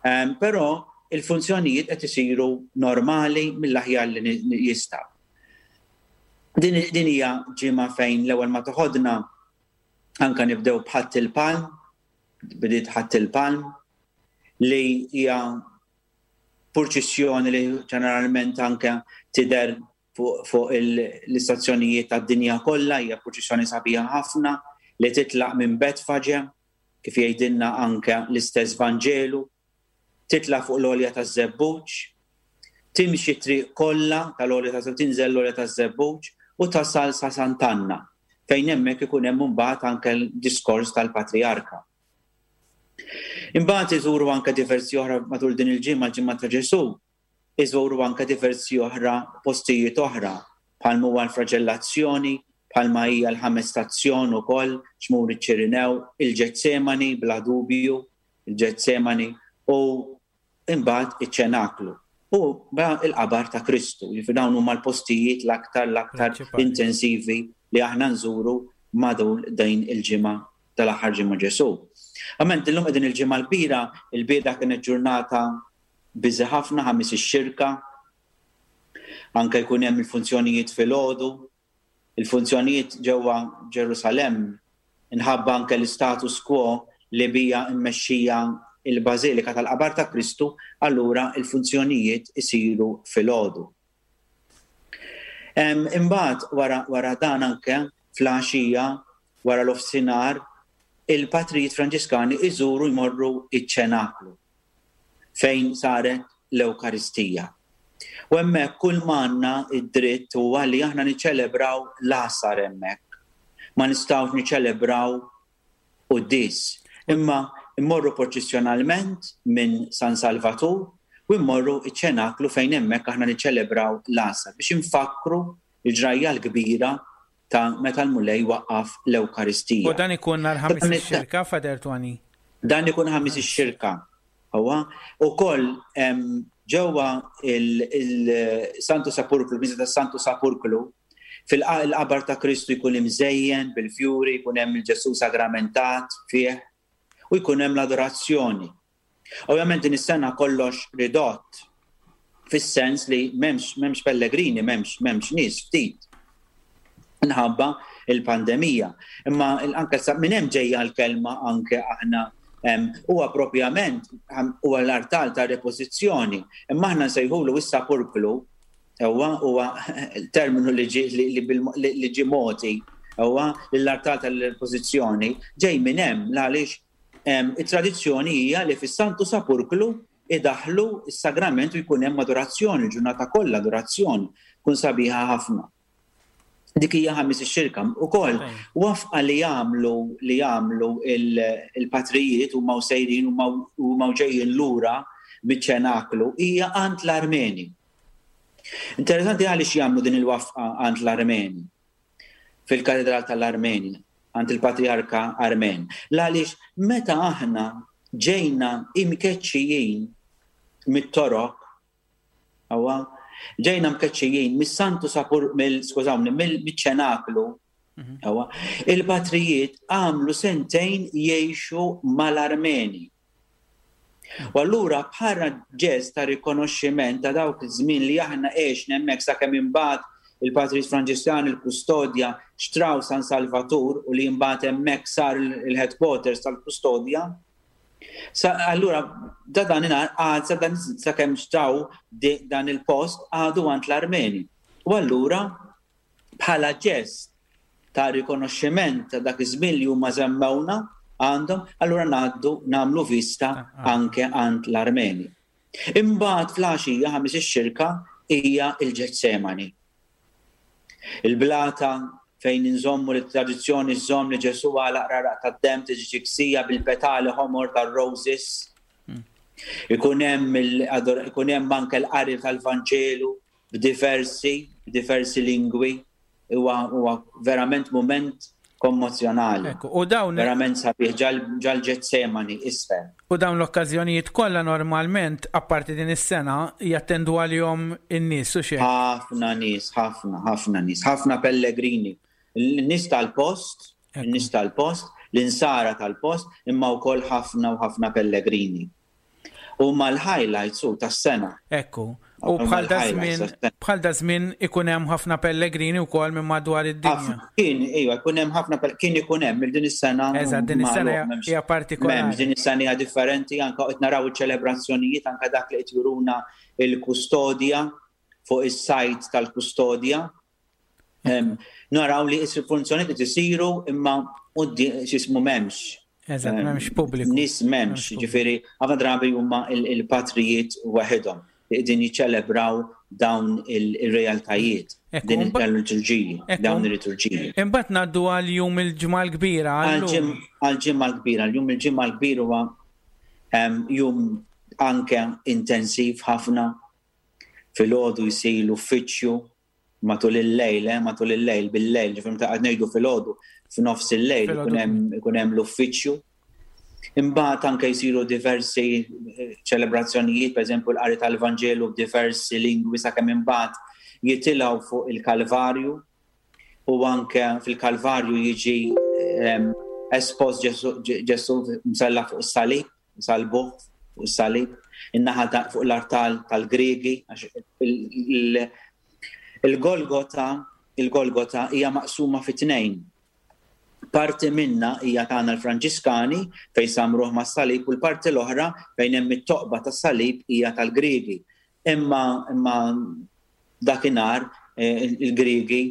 Ehm, però il-funzjonijiet qed isiru normali mill-aħjar li jistgħu. Din hija ġimgħa fejn l-ewwel ma toħodna anka nibdew b'Ħadd il-Palm, bdiet Ħadd il-Palm, li hija purċissjoni li ġeneralment anke tidher fuq l-istazzjonijiet tad-dinja kollha, hija purċissjoni sabiħa ħafna li titlaq minn Betfaġe, kif jgħidilna anke l-istess Vanġelu, titla' fuq l-għolja taż-Żebbuġ, timxi t-triq kollha tal-għolja ta' tinżel l-għolja taż-Żebbuġ u tasal sa Sant'Anna, fejn hemmhekk ikun hemm imbagħad anke l-diskors tal-Patrijarka. Imbagħad iżuru anke diversi oħra matul din il-ġimgħa, l-ġimgħa ta' Ġesù, iżuru anke diversi oħra postijiet oħra bħal huwa l-flaġellazzjoni, bħalma hija l-ħames stazzjon ukoll, xmur iċ-Ċirinew, il-Ġetsemani bla dubju, il-Ġetsemani u imbagħad iċ-ċenaklu u il-qabar ta' Kristu. Jiġifieri dawn huma l-postijiet l-aktar l-aktar intensivi li aħna nżuru matul din il-ġimgħa tal-aħħar ġimgħa Ġesù. Għament illum qegħdin il-ġimgħa l-kbira, il-bieda kienet ġurnata biżi ħafna ħamis ix-xirka. Anke jkun hemm il-funzjonijiet filgħodu, Il-funzjonijiet ġewwa Ġerusalemm, inħabba anke l-istatus quo li bija mmexxija l-Bażilika tal-Qabar ta' Kristu, allura l-funzjonijiet isiru filgħodu. Imbagħad wara wara dan anke fl-għaxija wara l-ofsinhar il-patrijiet Franġiskani iżuru jmorru iċ-ċenaklu. fejn saret l-Ewkaristija. U hemmhekk kull m'għandna d-dritt huwa li aħna niċċelebraw l-għasar hemmhekk. Ma nistgħux niċċelebraw quddies. Imma mmorru proċessjonalment minn San Salvatur u mmorru ċ-ċenaklu fejn hemmhekk aħna niċċelebraw l-għasar biex infakkru l-ġrajja l-kbira ta' meta l-Mulej waqqaf l-Ewkaristija. U dan ikun nhar Ħamis ix-Xirka, Father Tony? Dan ikun Ħamis ix-Xirka. Huwa ukoll ġewwa il-Santu Sepulkru, il-Knisja tas-Santu Sepulkru, fil-qabar ta' Kristu jkun imżejjen bil-fjuri, jkun hemm il-Ġesù sagramentat fih u jkun hemm l-adorazzjoni. Ovvjament din is-sena kollox ridott. Fis-sens li m'hemmx m'hemmx pellegrini, m'hemmx m'hemmx nies ftit minħabba il-pandemija. Imma anke sa minn hemm ġejja l-kelma anke aħna huwa propjament huwa l-artal ta' repożizzjoni, imma aħna nsejħulu is-sapurklu huwa huwa terminu li ġi li ġie mogħti huwa lill-artal tal-repożizzjoni ġej minn hemm għaliex it-tradizzjoni hija li fis-Santu Sapurklu idaħħlu s-sagrament u jkun hemm adorazzjoni, il-ġurnata kollha adorazzjoni, tkun sabiħa ħafna. Dik hija ħamis ix-xirka. Ukoll wafqa li jagħmlu li jagħmlu il-patrijiet huma u sejrin huma u ġejjin lura miċ-ċenaklu hija għand l-Armeni. Interessanti għaliex jagħmlu din il-wafqa għand l-Armeni. Fil-Katedral tal-Armeni, għand il-Patrijarka Armen. L-għaliex meta aħna ġejna imkeċċijin mit-Torok, Awa, ġejna mkeċċijin mis-Santu Sapur, mill, skużawni, mill-ċenaklu, mhm. awa, il-patrijiet għamlu sentejn jgħixu mal-Armeni. U allura bħala ġest ta' rikonoxximent ta' dawk iż-żmien li aħna għexna hemmhekk sakemm imbagħad il-Patrijiet Franġiskani l-Kustodja xtraw San Salvatur u li imbagħad hemmhekk sar il-headquarters tal-Kustodja, Sa, allura, da dan għad sa dan sakemm xtraw dan il-post għadu għand l-Armeni. U allura, bħala ġest ta' rikonoxximent ta' dak iż-żmien li huma żammewna għandhom, allura ngħaddu nagħmlu vista ah, ah. anke għand l-Armeni. Imbagħad fl-għaxija ħamis ix-xirka hija l-Ġetsemani. Il-blata fejn inżommu li t-tradizzjoni żżomm li Ġesù għalaq raraq tad-demm tiġi ġiksija bil-petali ħomor tar-roses. Hmm. Ikun hemm ikun hemm anke l-qari tal-Vanġelu b'diversi b'diversi lingwi huwa huwa verament mument kommozzjonali. Ekku, u dawn verament sabiħ ġal-Ġetsemani isfel. U dawn l-okkażjonijiet kollha normalment, apparti din is-sena, jattendu għalihom in-nies u xejn. Ħafna nies, ħafna, ħafna nies, ħafna pellegrini. N-nies tal-post, n-nies tal-post, l-insara tal-post, imma wkoll ħafna u ħafna pellegrini. Huma l-highlights hu tas-sena. Ekku. U bħal da żmien bħal da żmien ikun hemm ħafna pellegrini wkoll minn madwar id-dinja. Kien iva, ikun hemm ħafna kien ikun hemm din is-sena. Eżatt, din is-sena hija partikolari. M'hemmx din is-sena hija differenti anke qed naraw iċ-ċelebrazzjonijiet anke dak li qed juruna il-kustodja fuq is-sajt tal-kustodja. Naraw li is-funzjonijiet qed isiru imma x'ismu m'hemmx. Eżatt, m'hemmx pubbliku. Nies m'hemmx, ġifieri ħafna drabi huma il-patrijiet waħedhom li qegħdin jiċċelebraw dawn il-realtajiet, din il-liturġiji, dawn il-liturġiji. Imbagħad ngħaddu għal jum il-ġimgħa l-kbira. Għal ġimgħa l-kbira, jum il-ġimgħa l-kbir huwa jum anke intensiv ħafna. Filgħodu jsir l-uffiċċju matul il-lejl, eh, matul il-lejl, bil-lejl, ġifieri meta qed ngħidu filgħodu, f'nofs il-lejl ikun hemm l-uffiċċju. Imbagħad anke jsiru diversi eh, ċelebrazzjonijiet, pereżempju l-qari tal-Vanġelu b'diversi lingwi sakemm imbagħad jitilgħu fuq il-Kalvarju u anke fil-Kalvarju jiġi ehm, espost Ġesu msalla fuq is-salib Salbuh fuq is-salib, in-naħa ta' fuq l-artal tal-Griegi, għax il-Golgota, il-Golgota hija maqsuma fi tnejn. Parti minna hija tagħna l-Franġiskani fejn samruh mas-salib u l-parti l-oħra fejn hemm it-toqba tas-salib hija tal-Griegi. Imma imma dakinhar eh, il-Griegi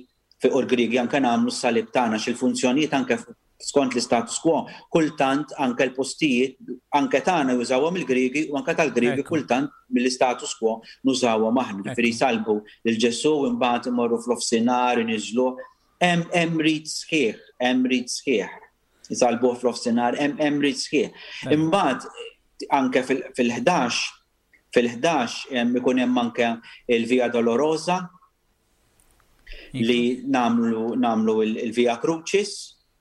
u l-Griegi anke nagħmlu s-salib tagħna x'il-funzjonijiet anke skont l-istatus quo, kultant anke l-postijiet anke tagħna jużawhom il-Griegi u anke tal-Griegi kultant mill-istatus quo nużawhom aħna. Ġifieri jsalbu lil Ġesù imbagħad imorru fl-ofsinhar iniżżluh. Hemm hemm rit sħiħ, hemm rit sħiħ. Isalbuh fl-ofsinhar, hemm hemm rit sħiħ. Imbagħad anke fil-11 fil-11 ikun hemm anke il-Via Dolorosa li namlu namlu il-Via Crucis,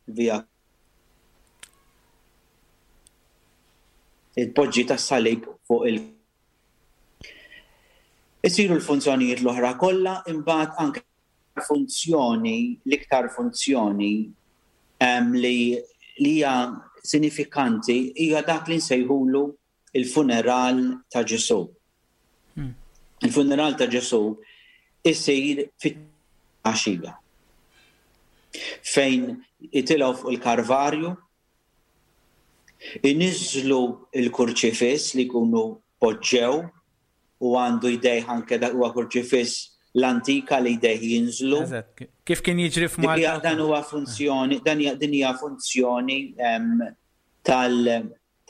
via il-poġġi tas-salib fuq il- Isiru l-funzjonijiet l-oħra kollha, imbagħad anke funzjoni, l-iktar funzjoni li li hija sinifikanti hija dak li nsejħulu il-funeral ta' Ġesù. Hmm. Il-funeral ta' Ġesù isir fit-għaxija fejn jitilgħu fuq il-Karvarju, iniżżlu l-kurċifiss li jkunu poġġew u għandu jdejh anke dak huwa kurċifiss l-antika li jdejh jinżlu. Eżatt, kif kien jiġri f'Malta. Dan huwa funzjoni, dan din hija funzjoni tal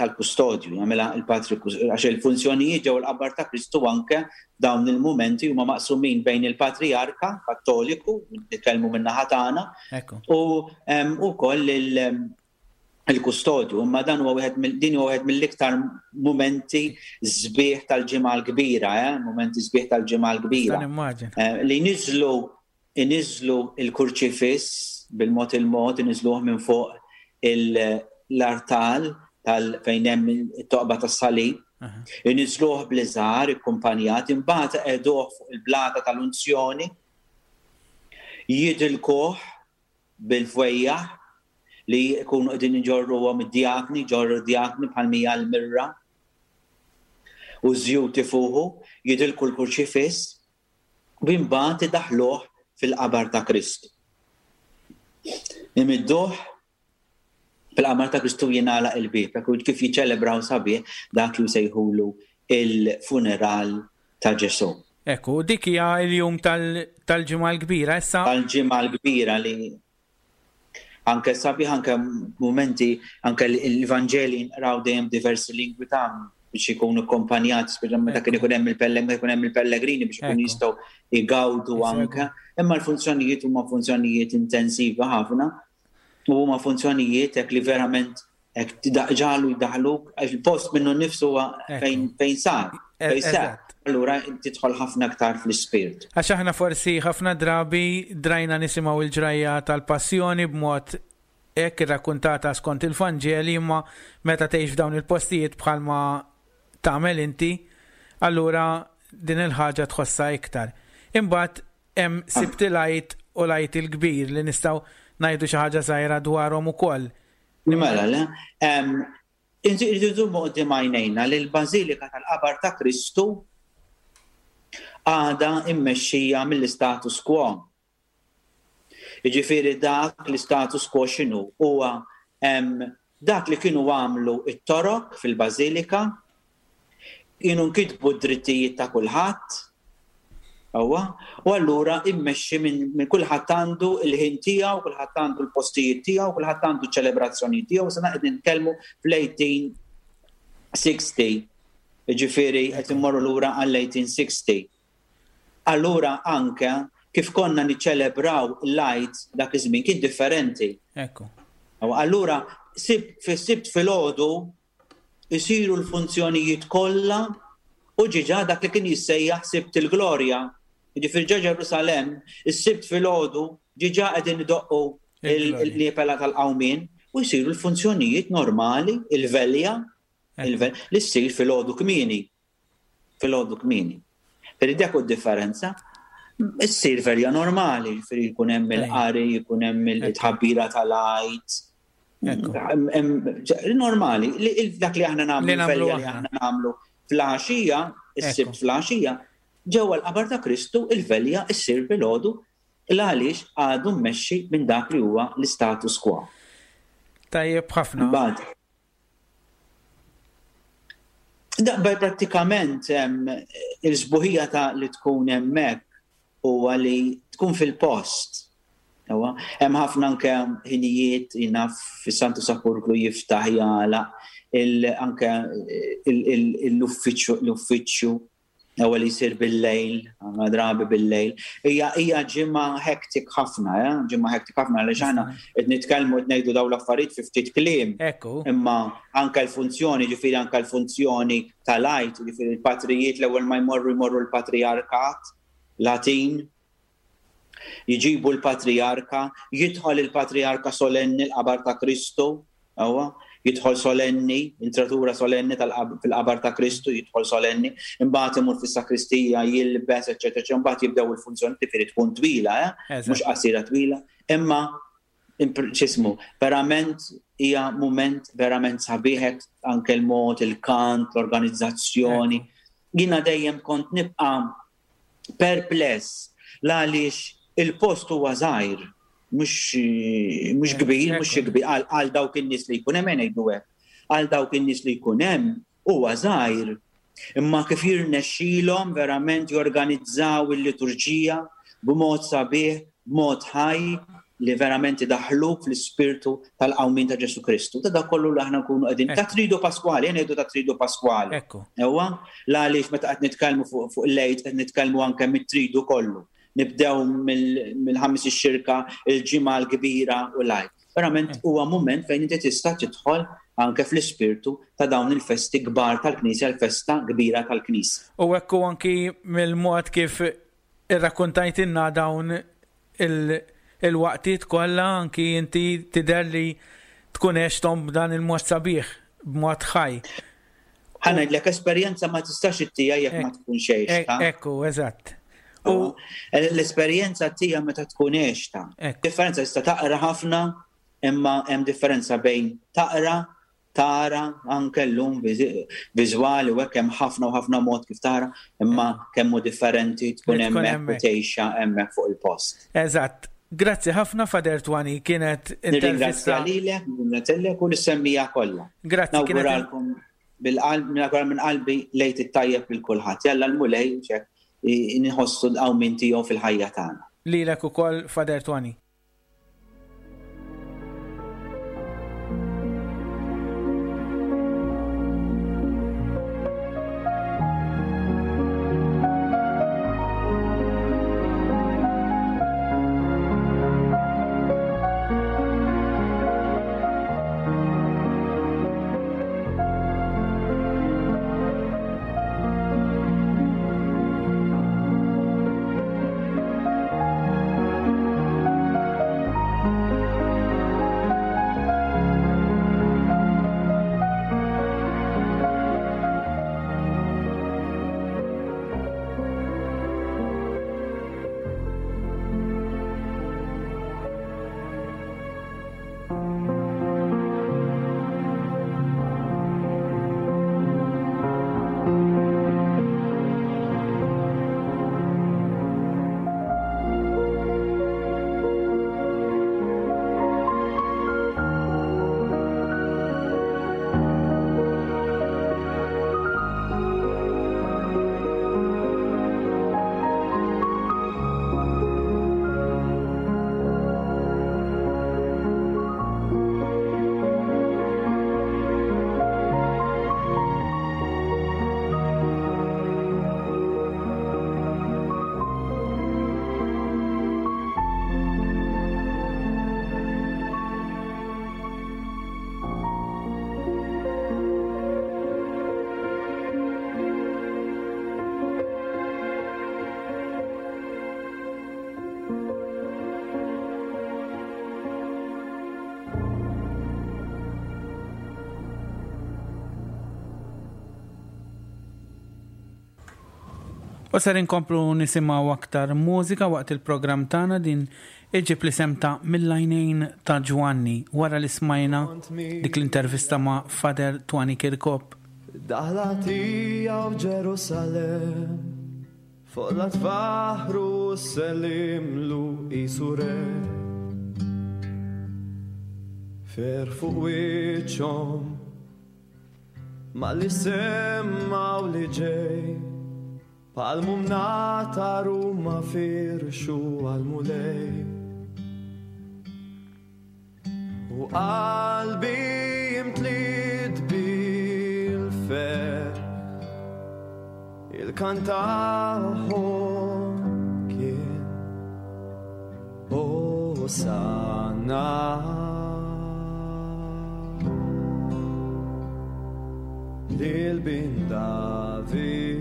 tal-kustodju, jagħmilha il-patri għax il-funzjonijiet ġew il-qabar ta' Kristu anke dawn il-mumenti huma maqsumin bejn il-Patrijarka Kattoliku, nitkellmu min-naħa tagħna, u wkoll il-kustodju, imma dan huwa wieħed din huwa wieħed mill-iktar mumenti sbieħ tal-ġimgħa l-kbira, eh? mumenti sbieħ tal-ġimgħa l-kbira. Eh, li niżlu iniżlu il-kurċifiss bil-mod il-mod iniżluh minn fuq l-artal tal fejn hemm it-toqba tas-salib. Iniżluh bl-iżgħar ikkumpanjat, imbagħad iqegħduh fuq il-blata tal-unzjoni, jidilkuh bil-fwejjaħ li jkunu qegħdin iġorruhom id-djakni, jġorru d-djakni bħal mija l-mirra u ż-żjut ifuħu, jidilku l-kurċifiss u imbagħad idaħħluh fil-qabar ta' Kristu. Imidduh fil-qabar ta' Kristu jingħalaq il-bieb, hekk kif jiċċelebraw sabiħ dak li jsejħulu il-funeral ta' Ġesù. Ekku, dik hija l-jum tal-Ġimgħa l-Kbira issa. Tal-Ġimgħa l-Kbira li anke sabiħ anke mumenti anke l-Vanġeli nqraw dejjem diversi lingwi ta' biex ikunu akkompanjati, speċjalment meta kien ikun hemm il-pellegrini, ikun hemm il-pellegrini biex ikunu jistgħu jgawdu anke. Imma l-funzjonijiet huma funzjonijiet intensivi ħafna u huma funzjonijiet hekk li verament hekk ġalu jdaħluk għax il-post minnu nnifsu huwa fejn fejn sar, fejn sar. Allura tidħol ħafna aktar fl-ispirt. Għax aħna forsi ħafna drabi drajna nisimgħu l-ġrajja tal-passjoni b'mod hekk irrakkuntata skont il-Vanġeli imma meta tgħix f'dawn il-postijiet bħalma tagħmel inti, allura din il-ħaġa tħossha iktar. Imbagħad hemm Sibt il-Għid u l-Għid il-Kbir li nistgħu ngħidu xi ħaġa żgħira dwarhom ukoll. Mela, le. Irridu nżommu quddiem għajnejna li l-Bażilika tal-Qabar ta' Kristu għadha mmexxija mill-istatus quo. Jiġifieri dak l-istatus quo x'inhu? Huwa dak li kienu għamlu t-Torok fil-Bażilika, kienu nkitbu d-drittijiet ta' kulħadd, sewwa, u allura immexxi minn kulħadd għandu l-ħin tiegħu, kulħadd għandu l-postijiet tiegħu, kulħadd għandu ċ-ċelebrazzjonijiet tiegħu, issa qed nitkellmu fl-1860, jiġifieri qed immorru lura għall-1860. Allura anke kif konna niċċelebraw l-Għid dak iż-żmien kien differenti. Ekku. Allura fis-Sibt filgħodu isiru l-funzjonijiet kollha u ġiġa dak li kien jissejjaħ Sibt il-Glorja. Jiġifieri ġo Ġerusalemm, is-Sibt filgħodu ġiġa qegħdin idoqqu l-liepela tal-qawmien u jsiru l-funzjonijiet normali, il-velja, li ssir filgħodu kmieni. Filgħodu kmieni. Ferri dak u differenza. Issir verja normali, ġifieri jkun hemm il-qari, jkun hemm il-tħabbira tal-għid. Normali, dak li aħna nagħmlu, velja li aħna nagħmlu fl-għaxija, is-sibt fl-għaxija, ġewwa l-qabar ta' Kristu il-velja issir filgħodu l-għaliex għadu mmexxi minn dak li huwa l-istatus quo. Tajjeb ħafna. Daqbel prattikament il-sbuħija ta' li tkun hemmhekk huwa li tkun fil-post. Hemm ħafna anke ħinijiet jiena fis-Santu Sepulkru jiftaħ jagħlaq anke l-uffiċċju l-uffiċċju Ewwel jsir bil-lejl, ħafna drabi bil-lejl. Hija hija ġimgħa hectic ħafna, eh? ġimgħa hectic ħafna għaliex aħna qed nitkellmu qed ngħidu dawn l-affarijiet fi ftit kliem. Ekku. Imma anke l-funzjoni, ġifieri anke l-funzjoni tal-Għid, ġifieri l-patrijiet l-ewwel ma jmorru jmorru l-patrijarkat Latin, Jġibu l-patrijarka, jidħol il-patrijarka solenni l-qabar ta' Kristu, ewwa, jidħol solenni, intratura solenni fil-qabar ta' Kristu, jidħol solenni, imbagħad imur fis-sakristija, jilbes, eċċetera, eċċetera, imbagħad jibdew il-funzjoni, tifiri tkun twila, eh? Mhux qasira twila, imma x'ismu, verament hija mument verament sabiħ anke l-mod, il-kant, l-organizzazzjoni. Jiena dejjem kont nibqa' perpless l-għaliex il-post huwa żgħir, mhux mhux kbir, mhux xi kbir għal dawk in-nies li jkun hemm ngħidu hekk. Għal dawk in-nies li jkun hemm huwa żgħir. Imma kif jirnexxilhom verament jorganizzaw il-liturġija b'mod sabiħ, b'mod ħaj li verament idaħħluk fl-ispirtu tal-qawmien ta' Ġesù Kristu. Ta' dak kollu li aħna nkunu qegħdin. Ta' tridu Paskwali, jien ngħidu ta' tridu Paskwali. Ekku. Ewa, la għaliex meta qed nitkellmu fuq il-lejt qed nitkellmu anke mit-tridu kollu. Nibdew mill-ħamis ix-xirka, il-ġimgħa l-kbira u l-għid. Verament huwa mument fejn inti tista' tidħol anke fl-ispirtu ta' dawn il-festi kbar tal-Knisja, l-festa kbira tal-Knisja. U hekk hu anki mill-mod kif irrakkuntajtilna dawn il-waqtiet kollha anki inti tidher li tkun għexthom b'dan il-mod sabiħ, b'mod ħaj. Ħa ngħidlek esperjenza ma tistax ittija jekk ma tkunx għextha. Ekku, eżatt. U l-esperjenza tija meta tkun għextha. Differenza tista' taqra ħafna, imma hemm differenza bejn taqra, tara anke llum viżwali u hekk hemm ħafna u ħafna mod kif tara, imma kemm hu differenti tkun hemmhekk u tgħixha hemmhekk fuq il-post. Eżatt. Grazzi ħafna Father Twani, kienet intervista. Nirringrazzja lilek, nirringrazzja lilek u lis-semmiegħa kollha. Grazzi. Nawguralkom bil-qalb, nawgura minn qalbi l-Għid it-tajjeb lil kulħadd. Jalla l-Mulej hekk inħossu l-qawmien tiegħu fil-ħajja tagħna. Lilek ukoll Father Twani. U ser inkomplu nisimgħu aktar mużika waqt il-programm tagħna din iġib l-isem ta' Mill-għajnejn ta' Ġwanni wara li smajna dik l-intervista ma' Father Twani Kirkop. Daħla tiegħu Ġerusalemm fuq la tfaħru sellimlu qisu re. Fer fuq wiċċhom Malli semmaw li ġej, palmu mnatar u ma firxu għal-mulej. U qalbi imtliet bil-ferħ, il-kantaħom kien Hosanna. Lil bin David.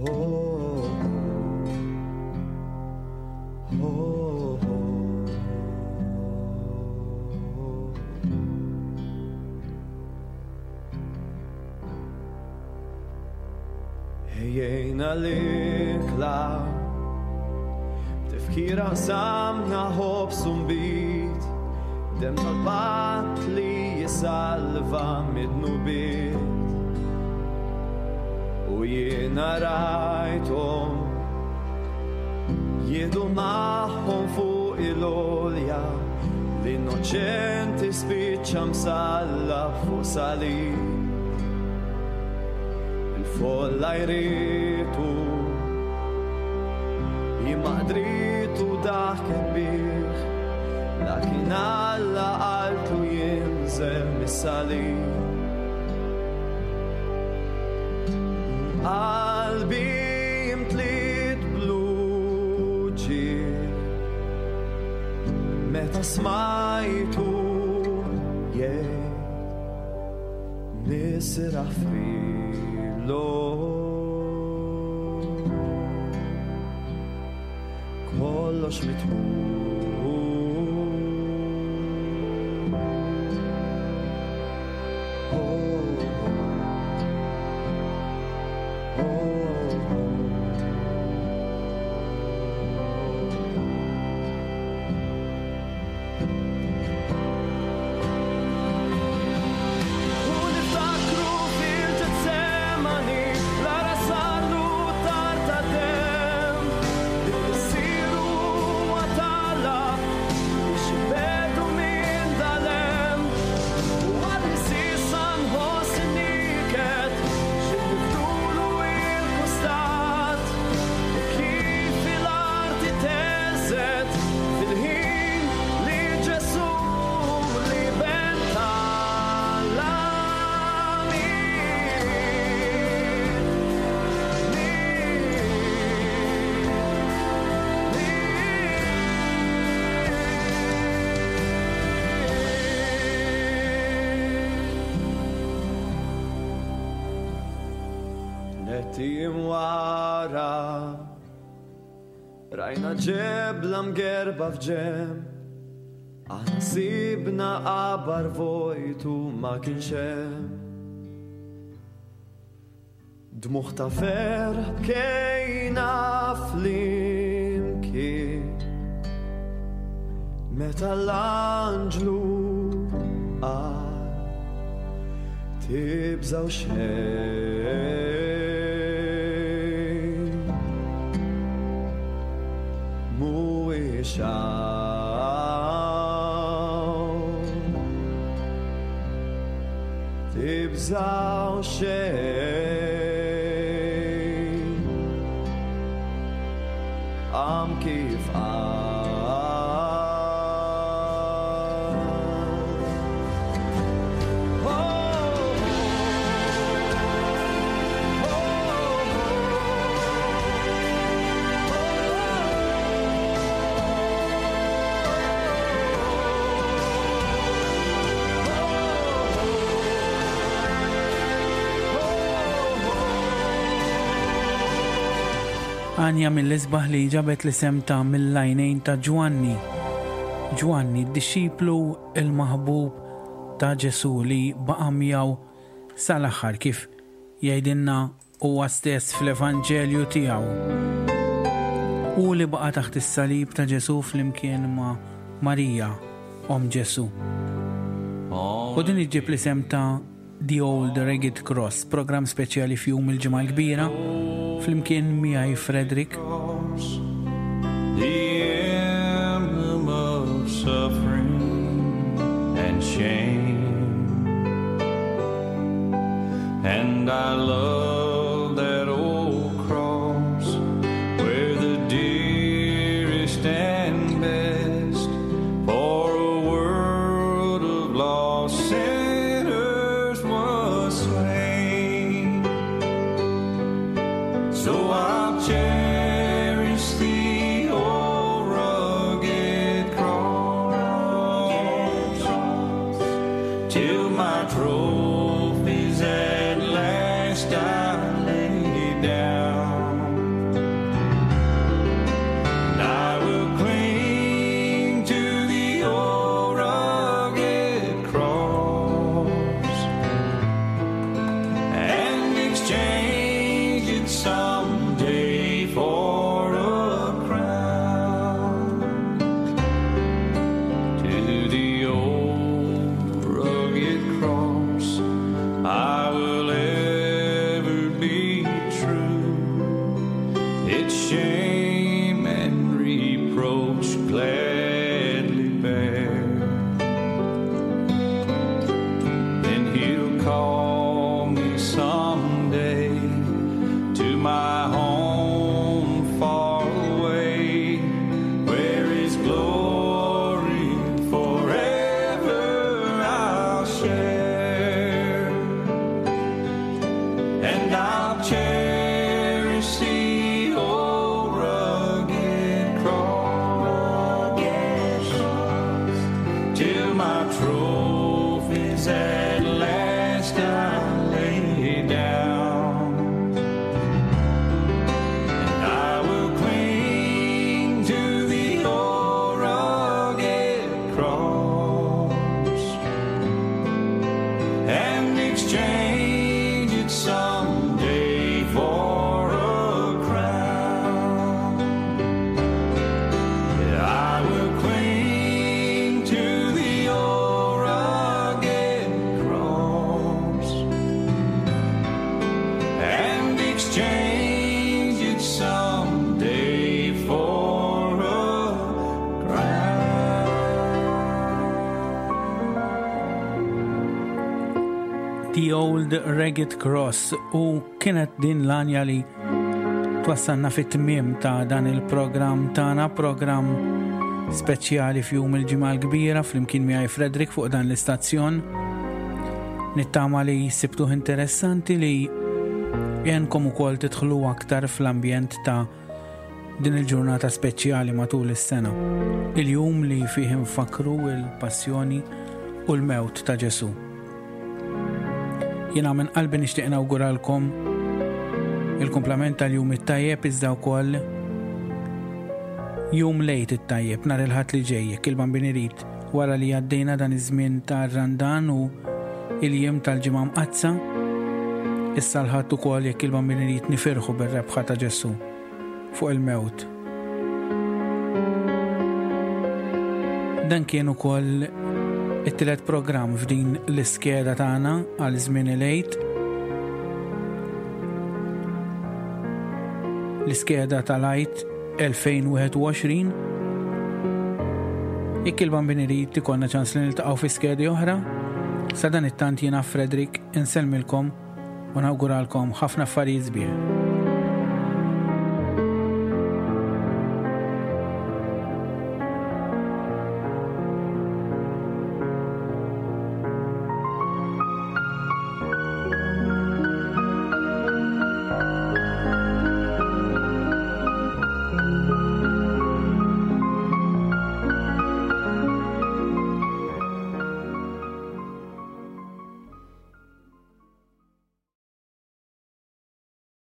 Oh, oh, oh. Ejjejna l-ikla B'tifkira qsamna ħobż u nbid Demm tal-patt li. isalva mid-dnubiet. U jiena rajthom jieħdu magħhom fuq il-għolja l-innoċenti spiċċa msallab fuq salib. Il-folla jritu imma qdritu daħket bih, lakin Alla qaltlu jinżel mis-salib. Qalbi imtliet bl-uġigħ meta smajtu jgħid nisraħ fil-lok. Kollox mitmum. U niftakru fil-Ġetsemani, l-ara sarlu tar ta' demm, li missieru huwa talla biex ibedu minn dalem. U għadni s'issa nħoss in-niket x'in niftulu il-kustat, u kif il-arti teżet fil-ħin li Ġesù li ben talla miet. Nettim wara rajna ġebla mgerba f'ġemb, aħna sibna qabar vojtu ma kienx hemm. Dmugħ ta' ferħ bkejna flimkien meta l-anġlu qal tibżgħu xejn. Mhuwiex hawn, tibżgħu xejn. Qam kif qal. Għanja mill-isbaħ li ġabet l-isem ta' mill-għajnejn ta' Ġwanni. Ġwanni, d-dixxiplu il-maħbub ta' Ġesù li baqa' miegħu sal-aħħar kif jgħidilna huwa stess fl-Evanġelju tiegħu. Hu li baqa' taħt is-salib ta' Ġesù flimkien ma' Marija, omm Ġesù. U din iġġib l-isem ta' The Old Ragged Cross, programm speċjali f'jum il-Ġimgħa l-Kbira, flimkien miegħi Frederick. The emblem of suffering and shame, and I love that old cross where the dearest and best for a world of lost sinners was slain. So I'll cherish the old rugged cross till my trophies at last I lay down. And I will cling to the old rugged cross and exchange it someday for a crown. To the old rugged The Old Ragged Cross u kienet din l-għanja li twassalna fit-tmiem ta' dan il-programm tagħna, programm speċjali f'jum il-ġimgħa l-kbira flimkien miegħi Frederick fuq dan l-istazzjon. Nittama li sibtuh interessanti li jenkom ukoll tidħlu aktar fl-ambjent ta' din il-ġurnata speċjali matul is-sena. Il-jum li fih infakru il-passjoni u l-mewt ta' Ġesù. Jiena minn qalbi nixtieq nawguralkom il-kumplament tal-jum it-tajjeb iżda wkoll jum lejt it-tajjeb nhar il-Ħadd li ġej jekk il-Bambin irid wara li għaddejna dan iż-żmien tar-Randan u il-jiem tal-Ġimgħa Mqaddsa. Issa l-Ħadd ukoll jekk il-Bambin irid nifirħu bir-rebħa ta' Ġesù fuq il-mewt. Dan kien ukoll it-tielet programm f'din l-iskeda tagħna għal żmien il-Għid. L-iskeda tal-Għid 2021. Jekk il-Bambin irid ikollna ċans li niltaqgħu fi skedi oħra, sa dan it-tant jiena Frederick insellmilkom u nawguralkom ħafna affarijiet sbieħ.